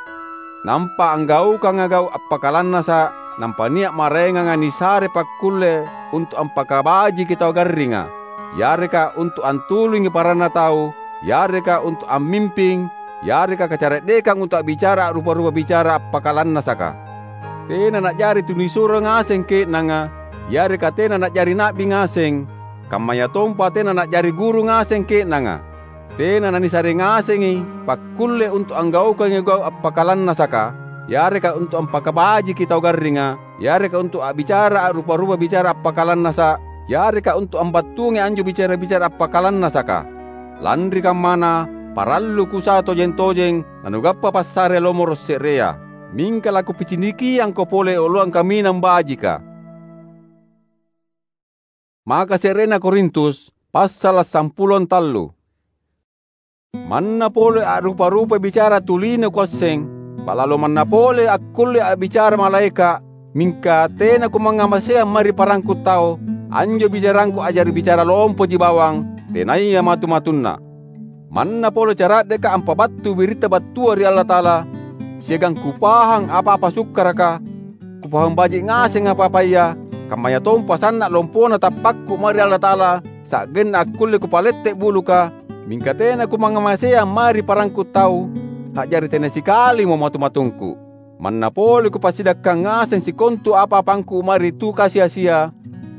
nampa anggaukanga gau’ appakalannasa’, nampa nia’ maraenganga nisare pakkulle untu’ ampakabajiki tau garringa, yareka untu’ antulungi paranna tau, yareka untu’ ammimping, yareka kacara'dekang untu’ a'bicara a'rupa-rupa bicara appakalannasaka. Tena na'jari tunisuro ngaseng ke'nanga, yareka tena na'jari na'bi ngaseng, kammayatompa tena na'jari guru ngaseng ke'nanga. Tena nanisare ngasengi pakkulle untu’ anggaukangi gau’ appakalannasaka, yareka untu’ ampakabajiki tau garringa, yareka untu’ a'bicara a'rupa-rupa bicara appakalannasa’, yareka untu’ ambattuangi anjo bicara-bicara appakalannasaka. Lanri kammana, parallu kusa tojeng-tojeng nanugappa passare lomoro’ se'rea. Mingka lakupicinikiangko pole oloang kaminang bajika. Maka se'rena Korintus, passala’ sampulo tallu. Manna pole a'rupa-rupai bicara tuli nakuasseng, ba'lalo manna pole akkulle a'bicara malaeka’, mingka tena kumangngamaseang mae ri parangku tau, anjo bicarangku a'jari bicara lompoji bawang, tenaya matu-matunna. Manna pole cara'deka ampabattu biritta battua ri Allata'ala, siagang kupahang apa-apa sukkaraka, kupahang baji’ ngaseng apa-apaya, kammayatompa sanna’ lompona tappakku mae ri Allata'ala, sa'genna akkulle kupalette’ buluka, mingka tena kumangngamaseang mae ri parangku tau, a'jari tena sikalimo matu-matungku. Manna pole kupasidakkang ngaseng sikontu apa-apangku mae ri tu kasi-asia,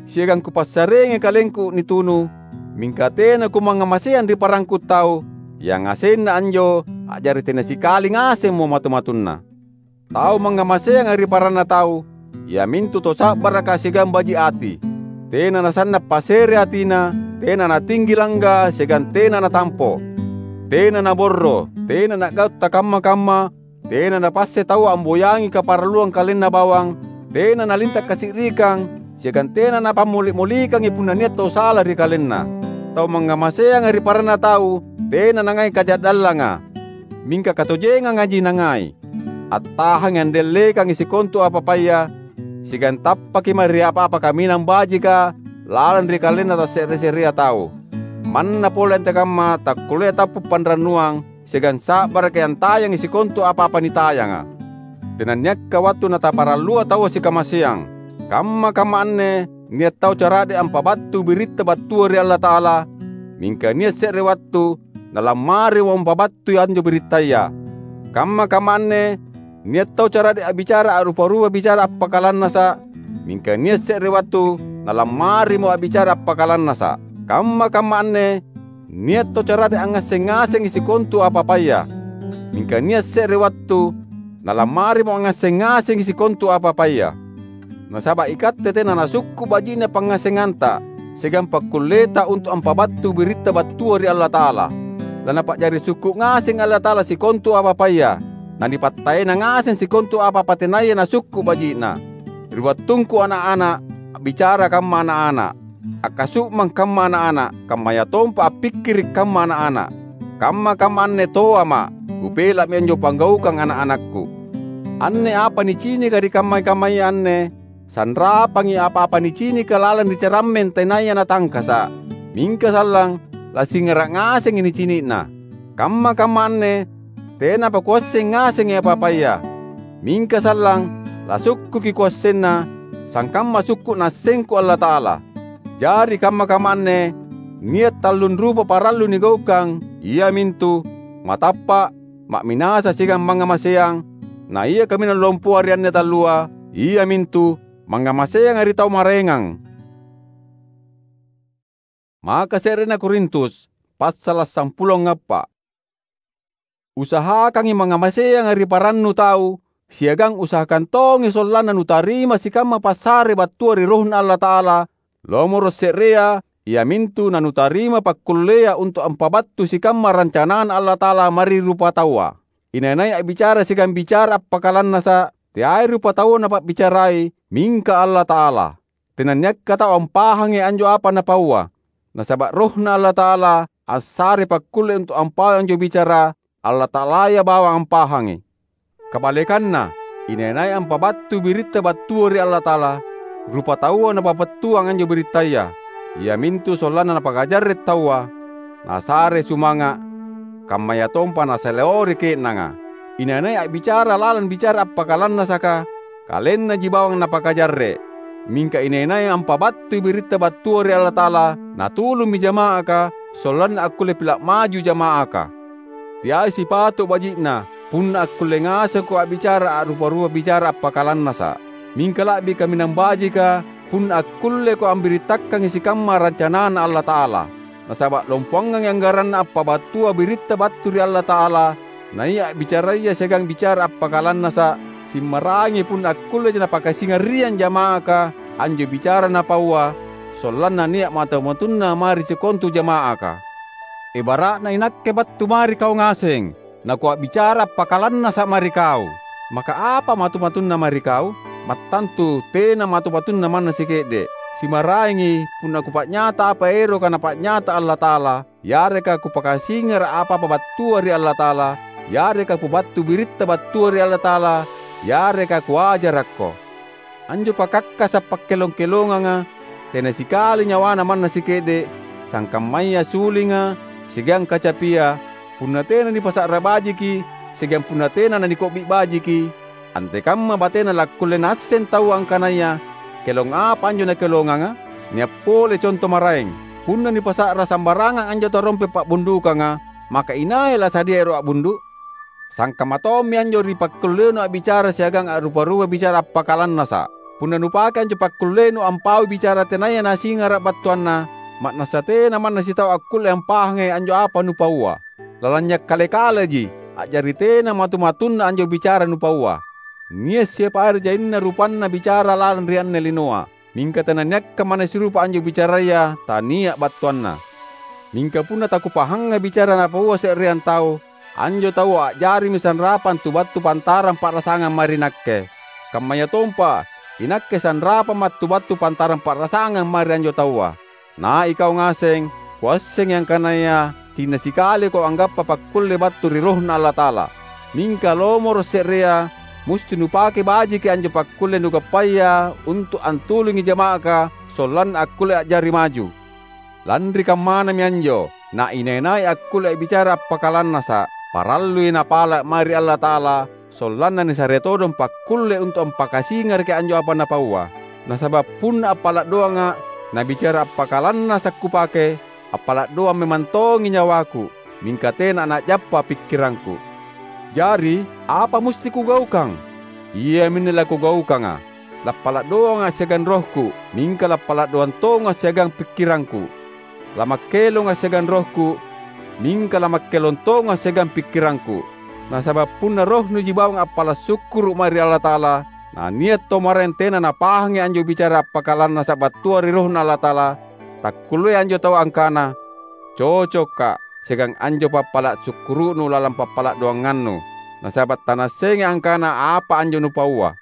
siagang kupassareangi kalengku nitunu, mingka tena kumangngamaseang ri parangku tau, yangasenna anjo a'jari tena sikali ngasemmo matu-matunna. Tau mangngamaseanga ri paranna tau, iamintu tau sa'baraka siagang baji’ ati. Tena nasanna’ pasere atina, tena natinggi langga siagang tena natampo. Tena naborro, tena na'gau’ takamma-kamma, tena napasse taua amboyangi kaparalluang kalenna bawang, tena nalinta’ kasi'rikang, siagang tena napammoli’-molikangi punna nia’ tau sala ri kalenna. Tau mangngamaseanga ri paranna tau tena nangai kaja'dallanga, mingka katojengangaji nangai. attahangi andellekangi sikontu apa-apaya, siagang tappaki mae ri apa-apa kaminang bajika lalang ri kalenna tasse're-se'rea tau. Manna pole antekamma takkulleai tappu' panrannuang, siagang sa'baraki antayangi sikontu apa-apa nitayanga. Tenanniakka wattu nataparallua taua sikamaseang. Kamma-kamma anne nia' tau cara'de' ampabattu biritta battua ri Allata'ala, mingka nia' se're wattu nalammarimo ampabattui anjo birittaya. Kamma-kamma anne nia' tau cara'de' a'bicara a'rupa-rupa bicara appakalannasa', mingka nia' se're wattu nalammarimo a'bicara appakalannasa'. Kamma-kamma anne nia' tau cara'de' angngasseng ngasengi sikontu apa-apaya, mingka nia' se're wattu nalammarimo angngasseng ngasengi sikontu apa-apaya. Nasaba' ikatte tena nasukku' baji'na pangngasenganta siagang pakkulleta untu' ampabattu biritta battua ri Allata'ala. Lanapa'jari sukku' ngaseng Allata'ala sikontu apa-apaya, nanipattaena ngaseng sikontu apa-apa tenaya nasukku' baji'na. Ri wattungku ana'-ana', a'bicara kamma ana'-ana', akkasu'mang kamma ana'-ana', kammayatompa appikkiri' kamma ana'-ana'. Kamma-kamma anne toama', kupela'mi anjo panggaukang ana'-anakku. Anne apa nicinika ri kamma-kammaya anne, sanrapangi apa-apa nicinika lalang ri carammeng tenaya natangkasa', mingka sallang lasingara' ngasengi nicini'na. Kamma-kamma anne tenapa kuasseng ngasengi apa-apaya, mingka sallang lasukkuki kuassenna, sangkamma sukku' Naassengku Allata'ala. Jari kamma-kamma anne nia' tallung rupa parallu nigaukang, iamintu: matappa', ma'minasa siagang mangngamaseang, na ia kaminang lompoa ri anne tallua, iamintu mangngamaseanga ri tau maraengang. Maka se'rena Korintus, passala' sampulo angngappa'. Usahakangi mangngamaseanga ri parannu tau, siagang usahakang tongi sollanna nutarima sikamma passare battua ri RohNa Allata'ala, lomoro' se'rea, iamintu nanutarima pakkullea untu' ampabattu sikamma rancanaNa Allata'ala mae ri rupataua. Inai-nai a'bicara siagang bicara appakalannasa', teai rupataua napa'bicarai, mingka Allata'ala. Tenanniakka tau ampahangi anjo apa napaua, nasaba' RohNa Allata'ala assare pakkulle untu' ampaui anjo bicara, Allata'alaya bawang ampahangi. Kabalekanna, inai-nai ampabattui biritta battua ri Allata'ala, rupataua napapattuang anjo birittaya, iamintu sollanna napakajarre' taua, nasare sumanga', kammayatompa nasalewori ke'nanga. Inai-nai a'bicara lalang bicara appakalannasaka, kalennaji bawang napakajarre'. Mingka inai-nai ampabattui biritta battua ri Allata'ala, natulummi jama'aka, sollanna akkulle pila' maju jama'aka. Teai sipatu' baji'na, punna akkulle ngasengko a'bicara a'rupa-rupa bicara appakalannasa'. Mingka la'bi kaminang bajika, punna akkulleko ambirittakangi sikamma rancanaNa Allata'ala. Nasaba' lompoangangi anggaranna ampabattua biritta battu ri Allata'ala, naia a'bicaraya siagang bicara appakalannasa', simmarangi punna akkulleja napakasingariang jama'aka anjo bicara napaua, sollanna nia' matu-matunna mae ri sikontu jama'aka. Ebara'na inakke battu mae ri kau ngaseng, nakua'bicara appakalannasa' mae ri kau. Maka apa matu-matunna mae ri kau? Mattantu tena matu-matunna manna sike'de'. Simaraengi punna kupa'nyata apa eroka Napa'nyata Allata'ala, yareka kupakasingara' apa-apa battua ri Allata'ala, yareka kubattu biritta battua ri Allata'ala, yareka kuajarakko. Anjo pakakkasa' pakkelong-kelonganga tena sikali nyawana manna sike'de', sangkammaya sulinga siagang kacapia, punna tena nipasa'ra bajiki siagang punna tena naniko'bi' bajiki, antekamma batena lakkulle naasseng taua angkanaya kelong apa anjo nakelonganga? Nia' pole conto maraeng. Punna nipasa'ra sambarangang anjo tarompe' pa'bundukanga, maka inai lasadia ero' a'bundu'? Sangkamma tommi anjo ri pakkullenu a'bicara siagang a'rupa-rupa bicara appakalannasa'. Punna nupake anjo pakkullenu ampaui bicara tenaya nasingara' battuanna, ma'nassa tena manna sitau akkulle ampahangi anjo apa nupaua. Lalanynya' kale-kaleji, a'jari tena matu-matunna anjo bicara nupaua. Nia' siapa ere' jainna rupanna bicara lalang ri anne linoa. Mingka tenanniakka manna sirupa anjo bicaraya tania' battuanna. Mingka punna takupahangnga bicara napaua se'reang tau, anjo taua a'jarimi sanrapang tu battu pantarang pa'rasangang mae ri nakke. Kammayatompa, inakke sanrapamma' tu battu pantarang pa'rasangang mae ri anjo taua. Na ikau ngaseng, kuassengi angkanaya cinna sikaliko anggappa pakkulle battu ri RohNa Allata'ala. Mingka lomoro' se'rea, musti nupake bajiki anjo pakkulle nugappaya untu’ antulungi jama'aka sollanna akkulle a'jari maju. Lanri kammanami anjo, na inai-nai akkulle a'bicara appakalannasa’, parallui napala’ mae ri Allata'ala, sollanna nisare todong pakkulle untu’ ampakasingaraki anjo apa napaua. Nasaba’ punna appala’ doanga’ nabicara appakalannasa’ kupake, appala’ doang memang tongi nyawaku, mingka tena na'jappa pikkirangku. Jari, apa musti kugaukang? Iaminne lakugaukanga: lappala’ doanga’ siagang rohku, mingka lappala’ doang tonga’ siagang pikkirangku. Lamakkelonga’ siagang rohku, mingka lamakkelong tonga’ siagang pikkirangku. Nasaba’ punna rohnuji bawang appala’ sukkuru’ mae ri Allata'ala, na nia’ tau maraeng tena napahangi anjo bicara appakalannasa’ battua ri RohNa Allata'ala, takkulleai anjo taua angkana, "Cocokka’, siagang anjo pappala’ sukkuru'nu lalang pappala’ doangannu, nasaba’ tanaassengai angkana apa anjo nupaua."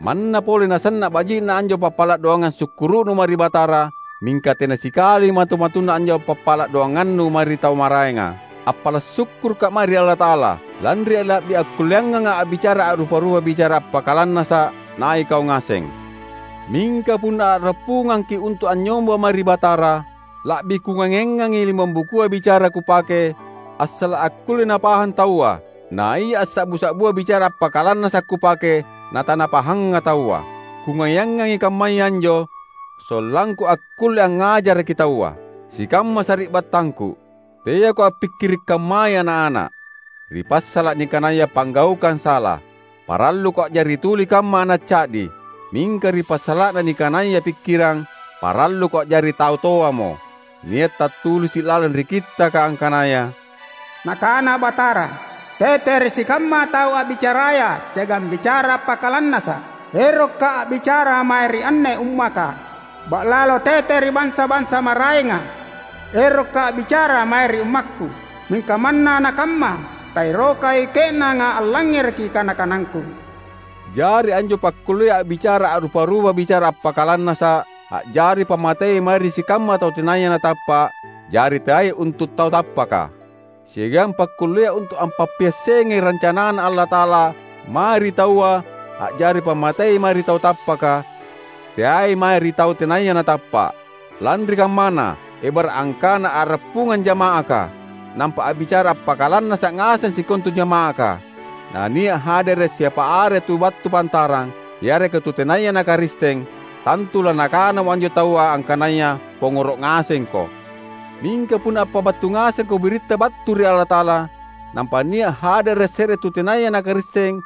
Manna pole nasanna’ baji'na anjo pappala’ doangang sukkuru'nu mae ri Batara, mingka tena sikali matu-matunna anjo pappala’ doangannu mae ri tau maraenga. Appala’ sukkuruka’ mae ri Allata'ala, lanri la'bi akkulleanganga’ a'bicara a'rupa-rupa bicara appakalannasa’ nai’ kau ngaseng. Mingka punna a'rappungangki’ untu’ anynyomba mae ri Batara, la'bi kungayangangi limong bukua bicara kupake, assala’ akkulle napahang taua, na ia assa'bu-sa'bua bicara appakalannasa’ kupake, natanapahanga taua. Kungayangangi kammaya anjo, sollangku akkulle angngajaraki taua. Sikamma sari'battangku, teako appikkiri’ kammai ana’-ana’. Ri passala’ nikanaya panggaukang sala, paralluko a'jari tuli kamma ana’ ca'di, mingka ri passala'na nikanaya pikkirang, paralluko a'jari tau toamo. Nia’ tattulisi’ lalang ri Kittaka angkanaya, "Nakana Batara, 'Tete ri sikamma tau a'bicaraya siagang bicara appakalannasa’, erokka’ a'bicara mae ri anne ummaka. Ba'lalo tete ri bansa-bansa maraenga, erokka’ a'bicara mae ri ummakku. Mingka manna nakamma, taerokai ke'nanga allangngereki kana-kanangku.'" Jari anjo pakkullea a'bicara a'rupa-rupa bicara appakalannasa’ a'jari pammatei mae ri sikamma tau tenaya natappa’, jari teai untu’ tau tappaka. Siagang pakkullea untu’ ampappiassengai rancanaNa Allata'ala mae ri taua, a'jari pammatei mae ri tau tappaka, teai mae ri tau tenaya natappa’. Lanri kammana, ebara’ angkana a'rappungang jama'aka, nampa a'bicara appakalannasa’ ngaseng sikontu jama'aka, na nia’ hadere’ siapa are tu battu pantarang, yareka tu tenaya na Karisteng, tantu lanakanamo anjo taua angkanaya pongoro’ ngasengko. Mingka punna appabattu ngasengko biritta battu ri Allata'ala, nampa nia’ hadere’ se're tu tenaya na Karisteng,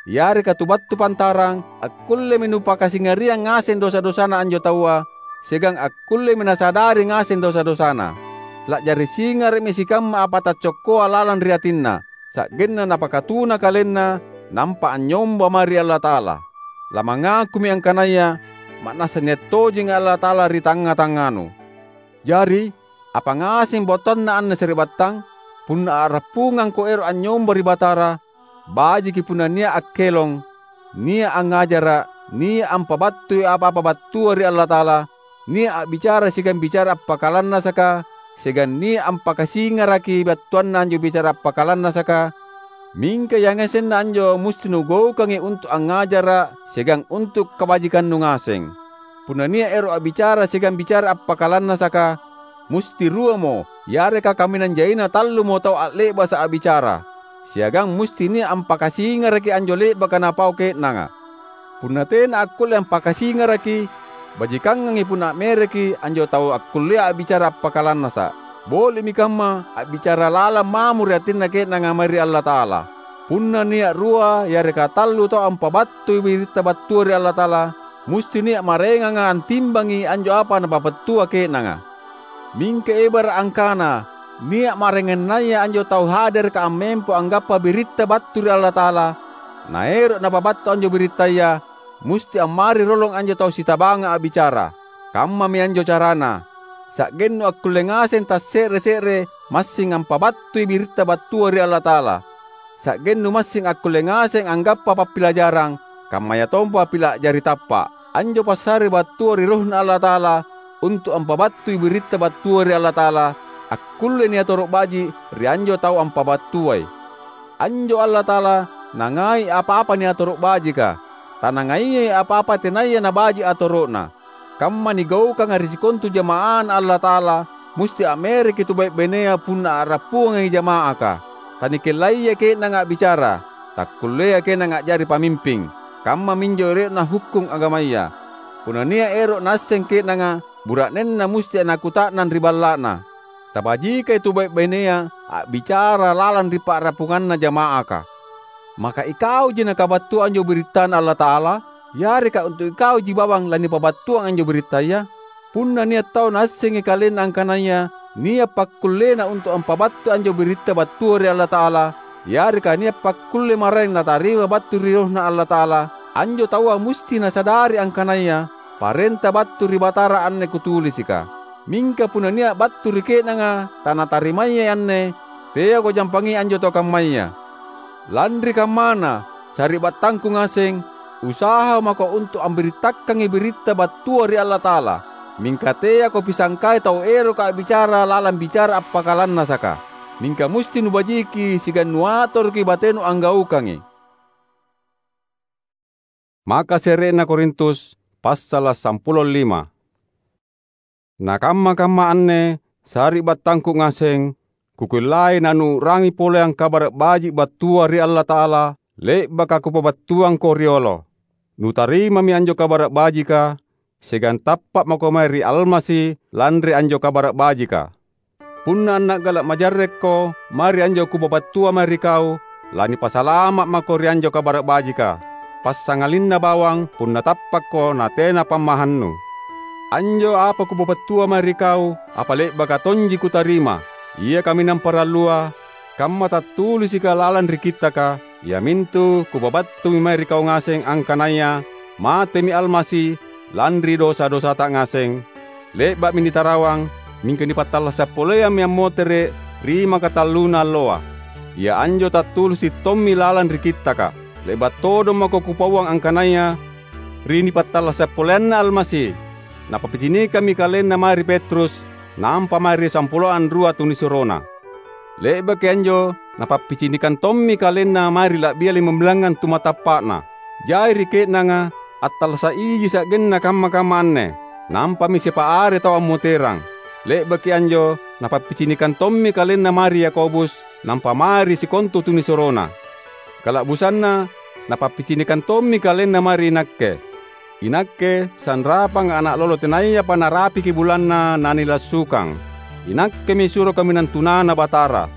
yareka tu battu pantarang, akkullemi nupakasingariang ngaseng dosa-dosana anjo taua, siagang akkullemi nasadari ngaseng dosa-dosana. La'jari singara'mi sikamma apa taccokkoa lalang ri atinna, sa'genna napakatuna kalenna, nampa anynyomba mae ri Allata'ala. Lamangakumi angkanaya ma'nassa nia’ tojeng Allata'ala ri tangnga-tangnganu. Jari, apa ngaseng battuanna anne sari'battang? Punna a'rappungangko ero’ anynyomba ri Batara, bajiki punna nia’ akkelong, nia’ angngajara’, nia’ ampabattui apa-apa battua ri Allata'ala, nia’ a'bicara siagang bicara appakalannasaka, siagang nia’ ampakasingaraki battuanna anjo bicara appakalannasaka, mingka yangasenna anjo musti nugaukangi untu’ angngajara’ siagang untu’ kabajikannu ngaseng. Punna nia’ ero’ a'bicara siagang bicara appakalannasaka, musti ruamo yareka kaminang jaina tallumo tau a'le'basa’ a'bicara, siagang musti nia’ ampakasingaraki anjo le'baka napau ke'nanga. Punna tena akkulle ampakasingaraki, bajikangangi punna a'mereki anjo tau akkullea a'bicara appakalannasa’. Boli'mi kamma a'bicara lalang mamo ri atinna ke'nanga mae ri Allata'ala. Punna nia’ rua yareka tallu tau ampabattui biritta battua ri Allata'ala, musti nia’ maraenganga antimbangi anjo apa napapattua ke'nanga. Mingka ebara’ angkana nia’ maraengannaya anjo tau hadereka ammempo anggappa biritta battu ri Allata'ala, naero’ napabattu anjo birittaya, musti ammari rolong anjo tau sitabanga a'bicara. Kammami anjo carana, sa'gennu akkulle ngaseng tasse're-se're massing ampabattui biritta battua ri Allata'ala. Sa'gennu massing akkulle ngaseng anggappa pappilajarang, kammayatompa pila’ a'jari tappa’. Anjo passare battua ri RohNa Allata'ala untu’ ampabattui biritta battua ri Allata'ala, akkulle niatoro’ baji’ ri anjo tau ampabattuai. Anjo Allata'ala nangai apa-apa niatoro’ bajika, tanangaiai apa-apa tenaya nabaji’ atoro'na. Kamma nigaukanga ri sikontu jama'aNa Allata'ala, musti ammereki tu bai’-bainea punna a'rappungangi jama'aka. Tanikellaiai ke'nanga a'bicara, takkulleai ke'nanga a'jari pamimping. Kammaminjo ero'na hukkung agamaya. Punna nia’ ero’ naasseng ke'nanga, bura'nenna musti anakuta'nang ri balla'na. Tabajikai tu bai’-bainea a'bicara lalang ri pa'rappunganna jama'aka. Maka ikauji nakabattua anjo birittaNa Allata'ala? Yareka untu’ ikauji bawang lanipabattuang anjo birittaya? Punna nia’ tau naassengi kalenna angkanaya nia’ pakkullena untu’ ampabattui anjo biritta battua ri Allata'ala, yareka nia’ pakkulle maraeng natarima battu ri RohNa Allata'ala, anjo taua musti nasadari angkanaya parenta battu ri Batara anne kutulisika. Mingka punna nia’ battu ri ke'nanga tanatarimai anne, teako jampangi anjo tau kammaya. Lanri kammana, sari'battangku ngaseng, usaha mako untu’ ambirittakangi biritta battua ri Allata'ala. Mingka teako pisangkai tau eroka a'bicara lalang bicara appakalannasaka. Mingka musti nubajiki siagang nuatoroki batenu anggaukangi. Maka se're'na Korintus, passala’ sampulo lima. Na kamma-kamma anne, sari'battangku ngaseng, kukullai nanuu'rangi poleang Kabara’ Baji’ battua ri Allata'ala, le'baka kupabattuangko riolo. Nutarimami anjo Kabara’ Bajika, siagang tappa’ mako mae ri Almasi lanri anjo Kabara’ Bajika. Punna anna'gala’ majarrekko mae ri anjo kupabattua mae ri kau, lanipasalama’ mako ri anjo Kabara’ Bajika, passangalinna bawang punna tappakko natena pammahannu. Anjo apa kupabattua mae ri kau, apa le'baka tonji kutarima. Ia kaminang parallua, kamma tattulisika lalang ri Kittaka, iamintu kupabattumi mae ri kau ngaseng angkanaya matemi Almasi lanri dosa-dosata ngaseng, le'ba'mi nitarawang, mingka nipattallasa’ poleammi ammotere’ ri makatalluna alloa. Ia anjo tattulisi’ tommi lalang ri Kittaka. Le'ba’ todong mako kupauang angkanaya ri nipattallasa’ poleanna Almasi, Napappicinikammi kalenna mae ri Petrus, nampa mae ri sampulo anrua tunisuroNa. Le'baki anjo Napappicinikang tommi kalenna mae ri la'bia limambilangngang tumatappa'Na. Jai ri ke'nanga attallasa’ iji sa'genna kamma-kamma anne, nampami siapa are tau ammoterang. Le'baki anjo Napappicinikang tommi kalenna mae ri Yakobus, nampa mae ri sikontu tunisuroNa. Kala'busanna Napappicinikang tommi kalenna mae ri inakke. Inakke sanrapanga ana’ lolo tenayapa narapiki bulanna nanilassukang. Inakkemi suro kaminang tunana Batara.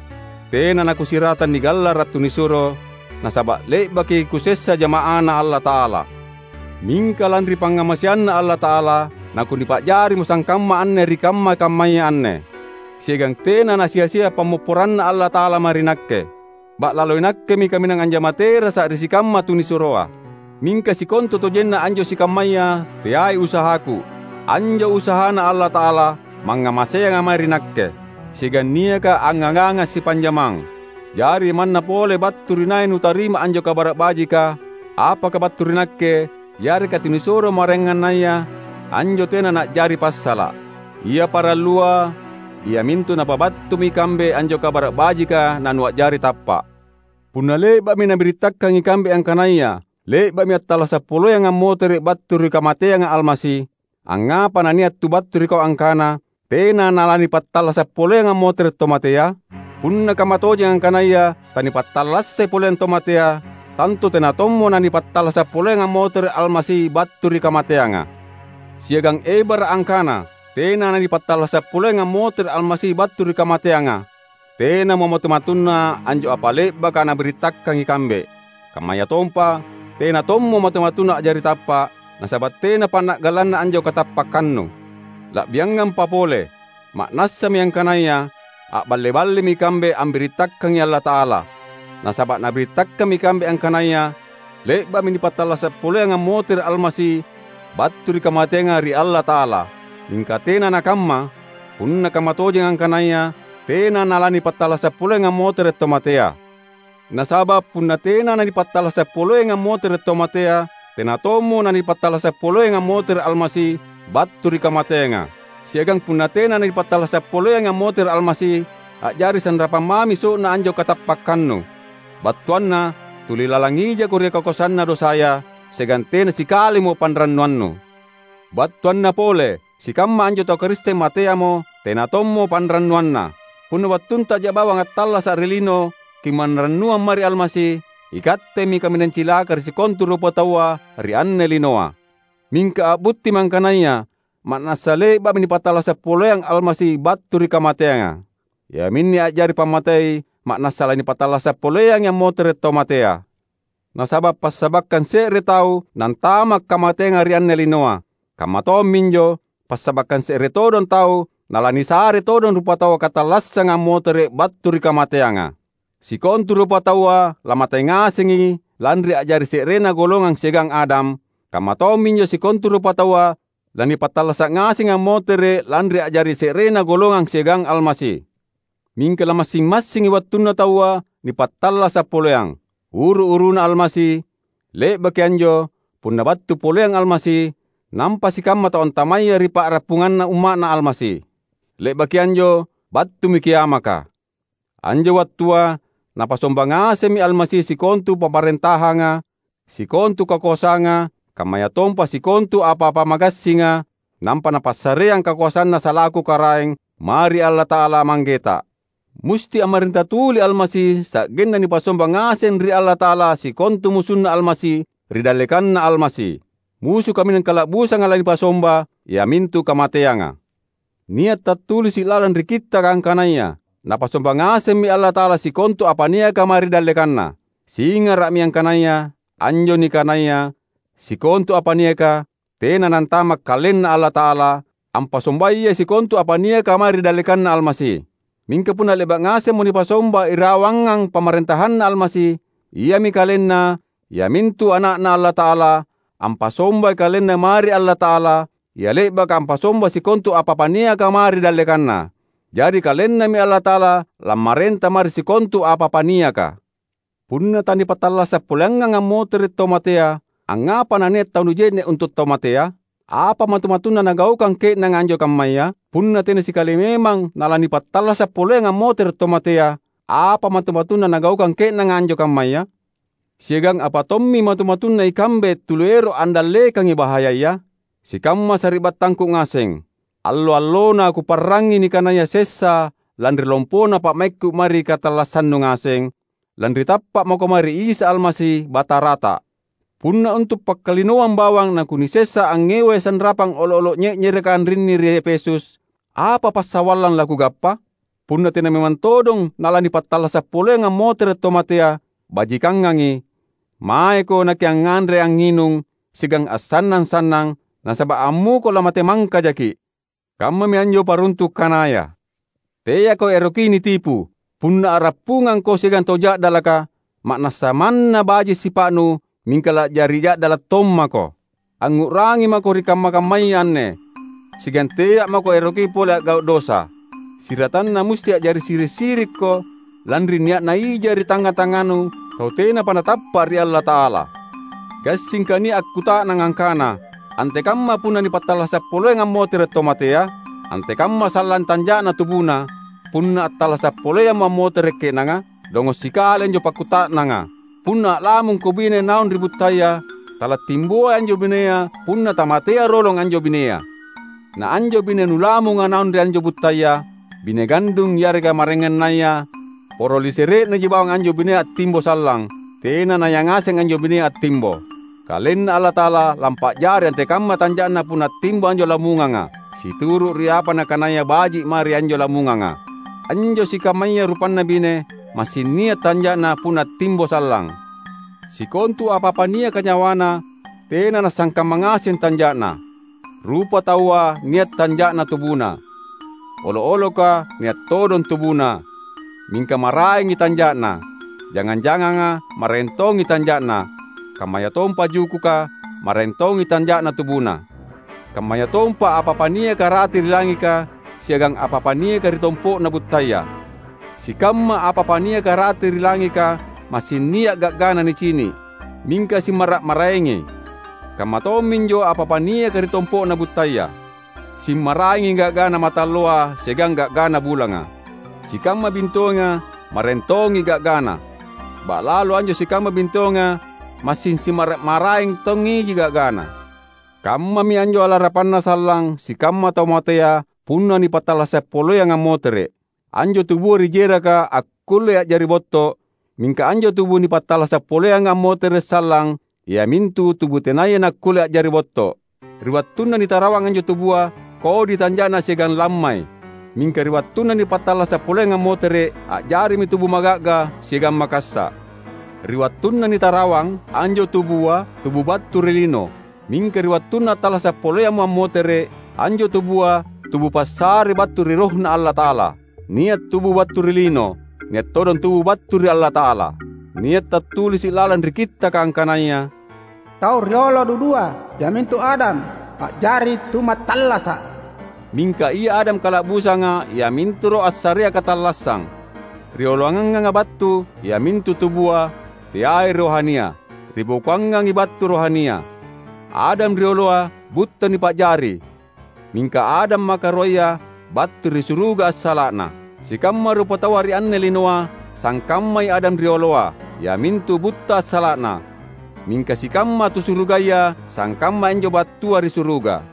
Tena nakusiratang nigallara’ tunisuro, nasaba’ le'baki kusessa jama'aNa Allata'ala. Mingka lanri pangngamaseanNa Allata'ala, nakunipa'jarimo sangkamma anne ri kamma-kammaya anne. Siagang tena nasia-sia pammopporanNa Allata'ala mae ri nakke. Ba'lalo inakkemi kaminang anjama terasa ri sikamma tunisuroa. Mingka sikontutojenna anjo sikammaya teai usahaku. Anjo usahana Allata'ala mangngamaseanga mae ri nakke, siagang niaka angngaganga sipanjamang. Jari manna pole battu ri nai nutarima anjo Kabara’ Bajika, apaka battu ri nakke, yareka tunisuro maraengannaya, anjo tena na'jari passala’. Ia parallua, iamintu napabattumi ikambe anjo Kabara’ Bajika nanua'jari tappa’. Punna le'ba'mi nabirittakang ikambe angkanaya le'ba'mi attallasa’ poleang ammotere’ battu ri kamateanga Almasi, angngapa nania’ tu battu ri kau angkana, "Tena nalanipattallasa’ poleang ammotere’ tomatea"? Punna kamma tojeng angkanaya tanipattallassai poleang tomatea, tantu tena tommo nanipattallasa’ poleang ammotere’ Almasi battu ri kamateanga. Siagang ebara’ angkana, "Tena nanipattallasa’ poleang ammotere’ Almasi battu ri kamateanga," tenamo matu-matunna anjo apa le'baka nabirittakang ikambe. Kammayatompa, tena tommo matu-matunna a'jari tappa’, nasaba’ tena panna'gallanna anjo katappakkannu. La'biangampa pole, ma'nassami angkanaya a'balle-ballemi ikambe ambirittakangi Allata'ala. Nasaba’ nabirittakkammi ikambe angkanaya le'ba'mi nipattallasa’ poleang ammotere’ Almasi battu ri kamateanga ri Allata'ala. Mingka tena nakamma, punna kamma tojeng angkanaya tena nalanipattallasa’ poleang ammotere’ tomatea. Nasaba’ punna tena nanipattallasa’ poleang ammotere’ tomatea, tena tommo nanipattallasa’ poleang ammotere’ Almasi battu ri kamateanga. Siagang punna tena nanipattallasa’ poleang ammotere’ Almasi, a'jari sanrapang mami so'na anjo katappakkannu. Battuanna, tuli lalang ijako ri kakoasanna dosaya, siagang tena sikalimo panrannuannu. Battuanna pole, sikamma anjo tau Karisteng mateamo, tena tommo panrannuanna. Punna wattuntaja bawang attallasa' ri lino kimanrannuang mae ri Almasi, ikattemi kaminang cilaka ri sikontu rupataua ri anne linoa. Mingka a'buttimi angkanaya ma'nassa le'ba'mi nipattallasa' poleang Almasi battu ri kamateanga. Iaminne a'jari pammatei ma'nassa lanipattallasa' poleangi ammotere' tau matea. Nasaba' passabakkang se're tau nantama' kamateanga ri anne linoa, kamma tomminjo passabakkang se're todong tau nalanisare todong rupataua katallassanga ammotere' battu ri kamateanga. Sikontu rupataua lamate ngasengi lanri a'jari se'rena golongang siagang Adam, kamma tomminjo sikontu rupataua lanipattallasa' ngasengi ammotere' lanri a'jari se'rena golongang siagang Almasi. Mingka lamassing-massingi wattunna taua nipattallasa' poleang. Uru-uruna Almasi, le'baki anjo, punna battu poleang Almasi, nampa sikamma tau antamaya ri pa'rappunganna umma'Na Almasi. Le'baki anjo, battumi kiamaka. Anjo wattua, Napasomba ngasemmi Almasi sikontu pamarentahanga, sikontu kakoasanga, kammayatompa sikontu apa-apa magassinga, nampa Napassareang kakoasanNa salaku Karaeng mae ri Allata'ala Manggeta. Musti ammarenta tuli Almasi sa'genna nipasomba ngaseng ri Allata'ala sikontu musunna Almasi ri dallekanna Almasi. Musu kaminang kala'busanga lanipasomba, iamintu kamateanga. Nia' tattulisi' lalang ri Kittaka angkanaya, "Napasomba ngasemmi Allata'ala sikontu apa niaka mae ri dallekanNa." Singara'mi angkanaya anjo nikanaya sikontu apa niaka tena nantama' KalenNa Allata'ala, ampasombayai sikontu apa niaka mae ri dallekanNa Almasi. Mingka punna le'ba' ngasemmo nipasomba irawangang pamarentahanNa Almasi, iami KalenNa, iamintu Ana'Na Allata'ala, ampasombai KalenNa mae ri Allata'ala, Ia le'baka ampasomba sikontu apa-apa niaka mae ri dallekanNa. Jari KalenNami Allata'ala lammarenta mae ri sikontu apa-apa niaka. Punna tanipattallasa' poleangang ammotere' tau matea, angngapa nania' tau nuje'ne' untu' tau matea? Apa matu-matunna nagaukang ke'nanga anjo kammaya? Punna tena sikali memang nalanipattallasa' poleang ammotere' tau matea, apa matu-matunna nagaukang ke'nanga anjo kammaya? Siagang apa tommi matu-matunna ikambe tuluero' andallekangi bahayaya? Sikamma sari'battangku ngaseng, allo-allona kuparrangngi nikanaya sessa lanri lompona pa'maikku mae ri katallassannu ngaseng, lanri tappa' mako mae ri Isa Almasi, Batarata. Punna untu' pakkalinoang bawang nakunisessa angngewai sanrapang olo'-olo' nye'nyereka anrinni ri Efesus, apa passawallang lakugappa? Punna tena memang todong nalanipattallasa' poleang ammotere' tau matea, bajikangangi. Maeko nakiangnganre angnginung siagang assannang-sannang, nasaba' ammuko lamate mangkajaki'. Kammami anjo paruntu' kanaya. Teako eroki nitipu. Punna a'rappungangko siagang tau ja'dalaka, ma'nassa manna baji' sipa'nu, mingka la'jari ja'dala' tommako. Angngu'rangi mako ri kamma-kammaya anne, siagang tea' mako eroki pole a'gau' dosa. Siratanna musti a'jari siri'-sirikko, lanri nia'na ija ri tangnga-tangnganu tau tenapa natappa' ri Allata'ala. Gassingka nia' akkuta'nang angkana, "Antekamma punna nipattallasa' poleang ammotere' tau matea? Antekamma sallang tanja'na tubuna?" Punna attallasa' poleammo ammotere' ke'nanga, dongo' sikali anjo pakkuta'nanga. Punna a'lamungko bine naung ri buttaya, talattimboi anjo binea punna tamatea rolong anjo binea. Na anjo bine nulamunga naung ri anjo buttaya, bine gandung yareka maraengannaya, poro lisere'naji bawang anjo binea attimbo sallang, tena nayangaseng anjo binea attimbo. KalenNa Allata'ala lampa'jari antekamma tanja'na punna attimbo anjo lamunganga, situru' ri apa nakanaya baji' mae ri anjo lamunganga. Anjo sikammaya rupanna bine, massing nia' tanja'na punna attimbo sallang. Sikontu apa-apa niaka nyawana, tena nassangkamma ngaseng tanja'na. Rupataua nia' tanja'na tubuna. Olo'-oloka nia' todong tubuna, mingka maraengi tanja'na. Jangang-janganga maraeng tongi tanja'na, kammayatompa jukuka maraeng tongi tanja'na tubuna. Kammayatompa apa-apa niaka rate ri langika siagang apa-apa niaka ri tompo'na buttaya. Sikamma apa-apa niaka rate ri langika massing nia' ga'gana nicini', mingka simmara'-maraengi. Kamma tomminjo apa-apa niaka ri tompo'na buttaya. Simmaraengi ga'gana matalloa siagang ga'gana bulanga. Sikamma bintoenga maraeng tongi ga'gana. ba'lalo anjo sikamma bintoenga massing simara’-maraeng tongiji ga'gana. Kammami anjo alarapanna sallang sikamma tau matea punna nipattallasa’ poleang ammotere’. Anjo tubua ri jeraka akkullei a'jari botto, mingka anjo tubu nipattallasa’ poleanga ammotere’ sallang, iamintu tubu tenaya nakkulle a'jari botto. Ri wattunna nitarawang anjo tubua, kodi tanja'na siagang lammai. Mingka ri wattunna nipattallasa’ poleanga ammotere’, a'jarimi tubu maga'ga siagang makassa’. Ri wattunna nitarawang anjo tubua, tubu battu ri lino. Mingka ri wattunna attallasa’ poleammo ammotere’, anjo tubua tubu passare battu ri RohNa Allata'ala. Nia’ tubu battu ri lino, nia’ todong tubu battu ri Allata'ala. Nia’ tattulisi’ lalang ri Kittaka angkanaya, "Tau riolo dudua, iamintu Adam, a'jari tumattallasa’." Mingka ia Adam kala'busanga, iamintu roh assarea katallassang. Rioloanganga battu, iamintu tubua, teai rohania. Ribokoangangi battu rohania. Adam rioloa butta nipa'jari, mingka Adam makaruaya battu ri suruga assala'na. Sikamma rupataua ri anne linoa sangkammai Adam rioloa, iamintu butta assala'na. Mingka sikamma tu surugaya sangkamma anjo battua ri suruga.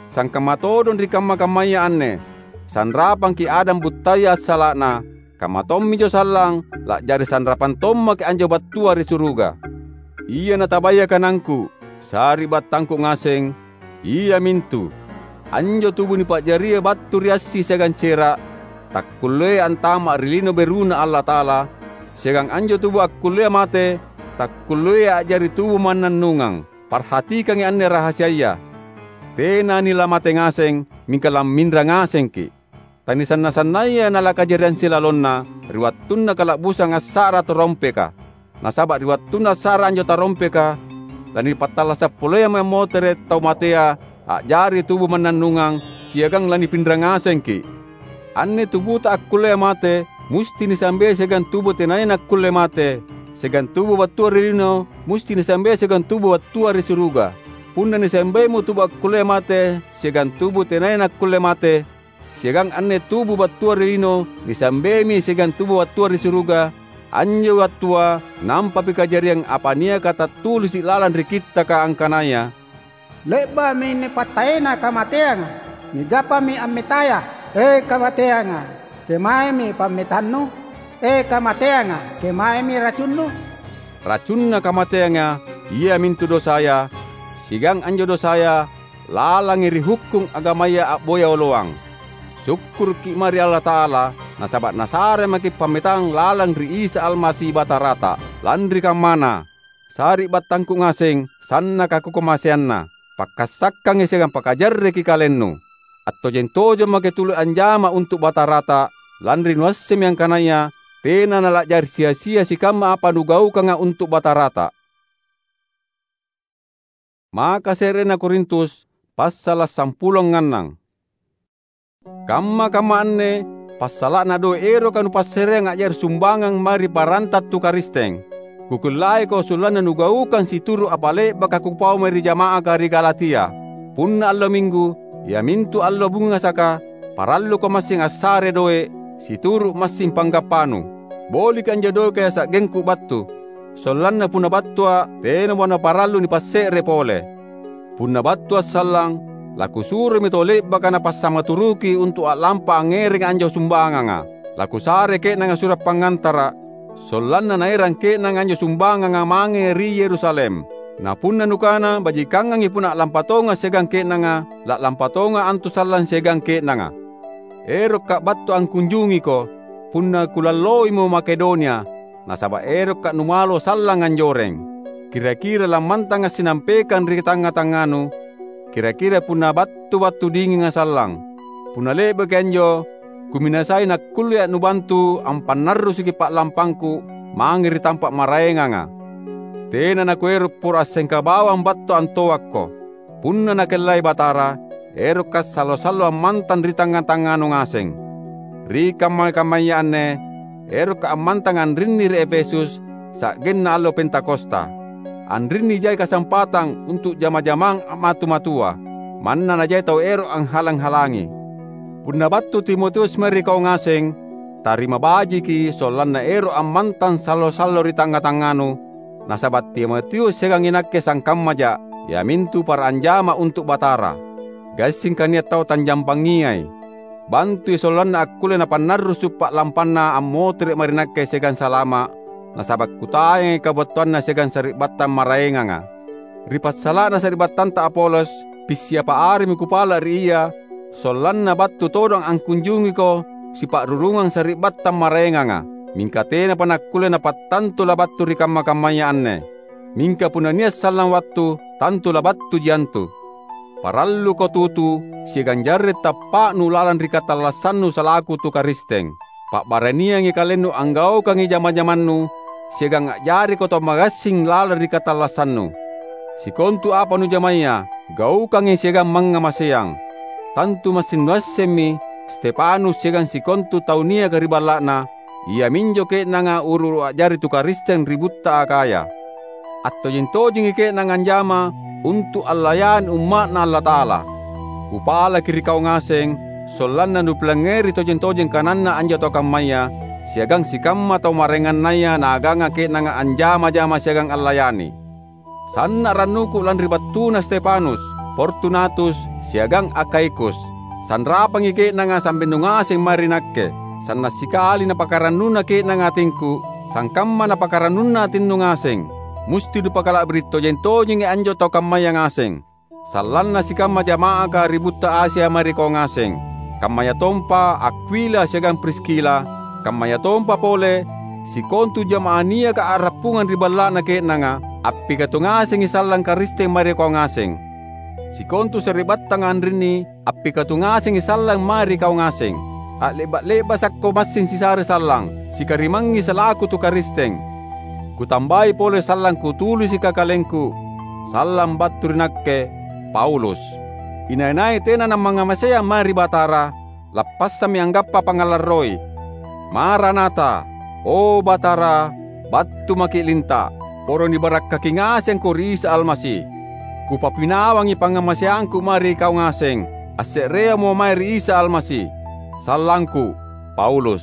Sangkamma todong ri kamma-kammaya anne, sanrapangki Adam buttaya assala'na, kamma tomminjo sallang la'jari sanrapang tommaki anjo battua ri suruga. Ia natabaya kanangku, sari'battangku ngaseng, iamintu: Anjo tubu nipa'jaria battu ri assi siagang cera’, takkulleai antama’ ri lino beruna Allata'ala, siagang anjo tubu akkullea mate, takkulleai a'jari tubu mannannungang. Parhatikangi anne rahasiaya: Tena nilamate ngaseng, mingka lamminra ngasengki’. Tanisanna-sannaya nalakajariang silalonna ri wattunna kala'busang assa'ra tarompeka. Nasaba’ ri wattunna assa'ra anjo tarompeka, lanipattallasa’ poleammi ammotere’ tau matea a'jari tubu mannannungang siagang lanipinra ngasengki’. Anne tubuta akkullea mate musti nisambei siagang tubu tenaya nakkulle mate, siagang tubu battua ri lino musti nisambei siagang tubu battua ri suruga. Punna nisambeimo tubu akkullea mate siagang tubu tenaya nakkulle mate, siagang anne tubu battua ri lino nisambeimi siagang tubu battua ri suruga, anjo wattua nampapi kajariang apa niaka tattulisi’ lalang ri Kittaka angkanaya, "Le'ba'mi nipattaena kamateanga, nigappami ammetaya, e kamateanga, kemaemi pammetannu? E kamateanga, kemaemi racunnu?" Racunna kamateanga iamintu dosaya, siagang anjo dosaya lalangi ri hukkung agamaya a'boya oloang. Sukkuruki’ mae ri Allata'ala, nasaba’ Nasare maki’ pammetang lalang ri Isa Almasi Batarata. Lanri kammana, sari'battangku ngaseng, sannaka kukamaseanna, pakkassakkangi siagang pakajarreki kalennu. Attojeng-tojeng maki’ tuli anjama untu’ Batarata, lanri nuassemmi angkanaya tena nala'jari sia-sia sikamma apa nugaukanga untu’ Batarata. Maka se'rena Korintus, passala’ sampulo annang. Kamma-kamma anne passala'na doe’ eroka nupassareang a'jari sumbangang mae ri paranta tu Karisteng. Kukellaiko sollanna nugaukang situru’ apa le'baka kupau mae ri jama'aka ri Galatia. Punna allo Minggu, iamintu allo bungasaka, paralluko massing assare doe’ situru’ massing panggappanu. Boliki anjo doeka sa'gengku battu, sollanna punna battua’, tenamo naparallu nipasse're pole. Punna battua’ sallang, lakusuroi tau le'baka napassamaturuki untu’ a'lampa angngerangi anjo sumbanganga. Lakusare ke'nanga sura’ pangngantara’, sollanna naerang ke'nanga anjo sumbanganga mange ri Yerusalem. Na punna nukana bajikangangi punna a'lampa tonga’ siagang ke'nanga, la'lampa tonga’ antu sallang siagang ke'nanga. Erokka’ battu angkunjungiko, punna kulalloimo Makedonia, nasaba’ erokka’ numalo sallang anjoreng. Kira-kira lammantanga’ sinampekang ri tangnga-tangnganu, kira-kira punna battu-battu dinginga sallang. Punna le'baki anjo, kuminasai nakkulleA’ nubantu ampannarrusuki pa'lampangku mange ri tampa’ maraenganga. Tena nakuero’ poro assengka bawang battu antoakko. Punna Nakellai Batara, erokka’ sallo-sallo ammantang ri tangnga-tangnganu ngaseng. Ri kamma-kammaya anne, erokka’ ammantang anrinni ri Efesus, sa'genna allo Pentakosta. Anrinni jai kasampatang untu’ jama-jamang a'matu-matua, manna najai tau ero’ anghalang-halangi. Punna battu Timotius mae ri kau ngaseng, Tarima bajiki sollanna ero’ ammantang sallo-sallo ri tangnga-tangnganu, nasaba’ Timotius siagang inakke sangkammaja’, iamintu para anjama untu’ Batara. Gassingka nia’ tau tanjampangiai. Bantui sollanna akkulle napannarrusu’ pa'lampanna ammotere’ mae ri nakke siagang salama’, nasaba’ kutayangi kabattuanna siagang sari'battang maraenganga. Ri passala'na sari'battanta Apolos, pissiapa aremi kupala’ ri ia, sollanna battu todong angkunjungiko sipa'rurungang sari'battang maraenganga, mingka tenapa nakkulle napattantu labattu ri kamma-kammaya anne. Mingka punna nia’ sallang wattu, tantu labattuji antu. Paralluko tutu siagang jarre’ tappa'nu lalang ri katallassannu salaku tu Karisteng. Pa'baraniangi kalennu anggaukangi jama-jamannu, siagang a'jariko tau magassing lalang ri katallassannu. Sikontu apa nujamaya, gaukangi siagang mangngamaseang. Tantu massing nuassemmi Stefanus siagang sikontu tau niaka ri balla'na, iaminjo ke'nanga uru-uru a'jari tu Karisteng ri butta Akhaya. Attojeng-tojengi ke'nanga anjama untu’ allayani umma'Na Allata'ala. Kupalaki ri kau ngaseng, sollanna nupilangngeri tojeng-tojeng kananna anjo tau kammaya, siagang sikamma tau maraengannaya naaganga ke'nanga anjama-jama siagang allayani. Sanna’ rannuku lanri battuna Stefanus, Fortunatus, siagang Akhaikus. Sanrapangi ke'nanga sa'binnu ngaseng mae ri nakke. Sanna’ sikali napakarannuna ke'nanga atingku, sangkamma napakarannunna atinnu ngaseng. Musti nupakala'biri’ tojeng-tojengi anjo tau kammaya ngaseng. Sallanna sikamma jama'aka ri butta Asia mae ri kau ngaseng, kammayatompa Akwila siagang Priskila, kammayatompa pole sikontu jama'ah niaka a'rappungang ri balla'na ke'nanga, appikatu ngasengi sallang Karisteng mae ri kau ngaseng. Sikontu sari'battanga anrinni appikatu ngasengi sallang mae ri kau ngaseng. A'le'ba’-le'basakko massing sisare sallang, sikarimangngi salaku tu Karisteng. Kutambai pole sallang kutulisika kalengku, sallang battu ri nakke, Paulus. Inai-nai tena nammangngamaseang mae ri Batara, lappassammi anggappa pangngalarroi. Maranata! O Batara, battu maki’ linta’! Poro nibarakkaki ngasengko ri Isa Almasi. Kupapinawangi pangngamaseangku mae ri kau ngaseng, asse'reammo mae ri Isa Almasi. Sallangku, Paulus.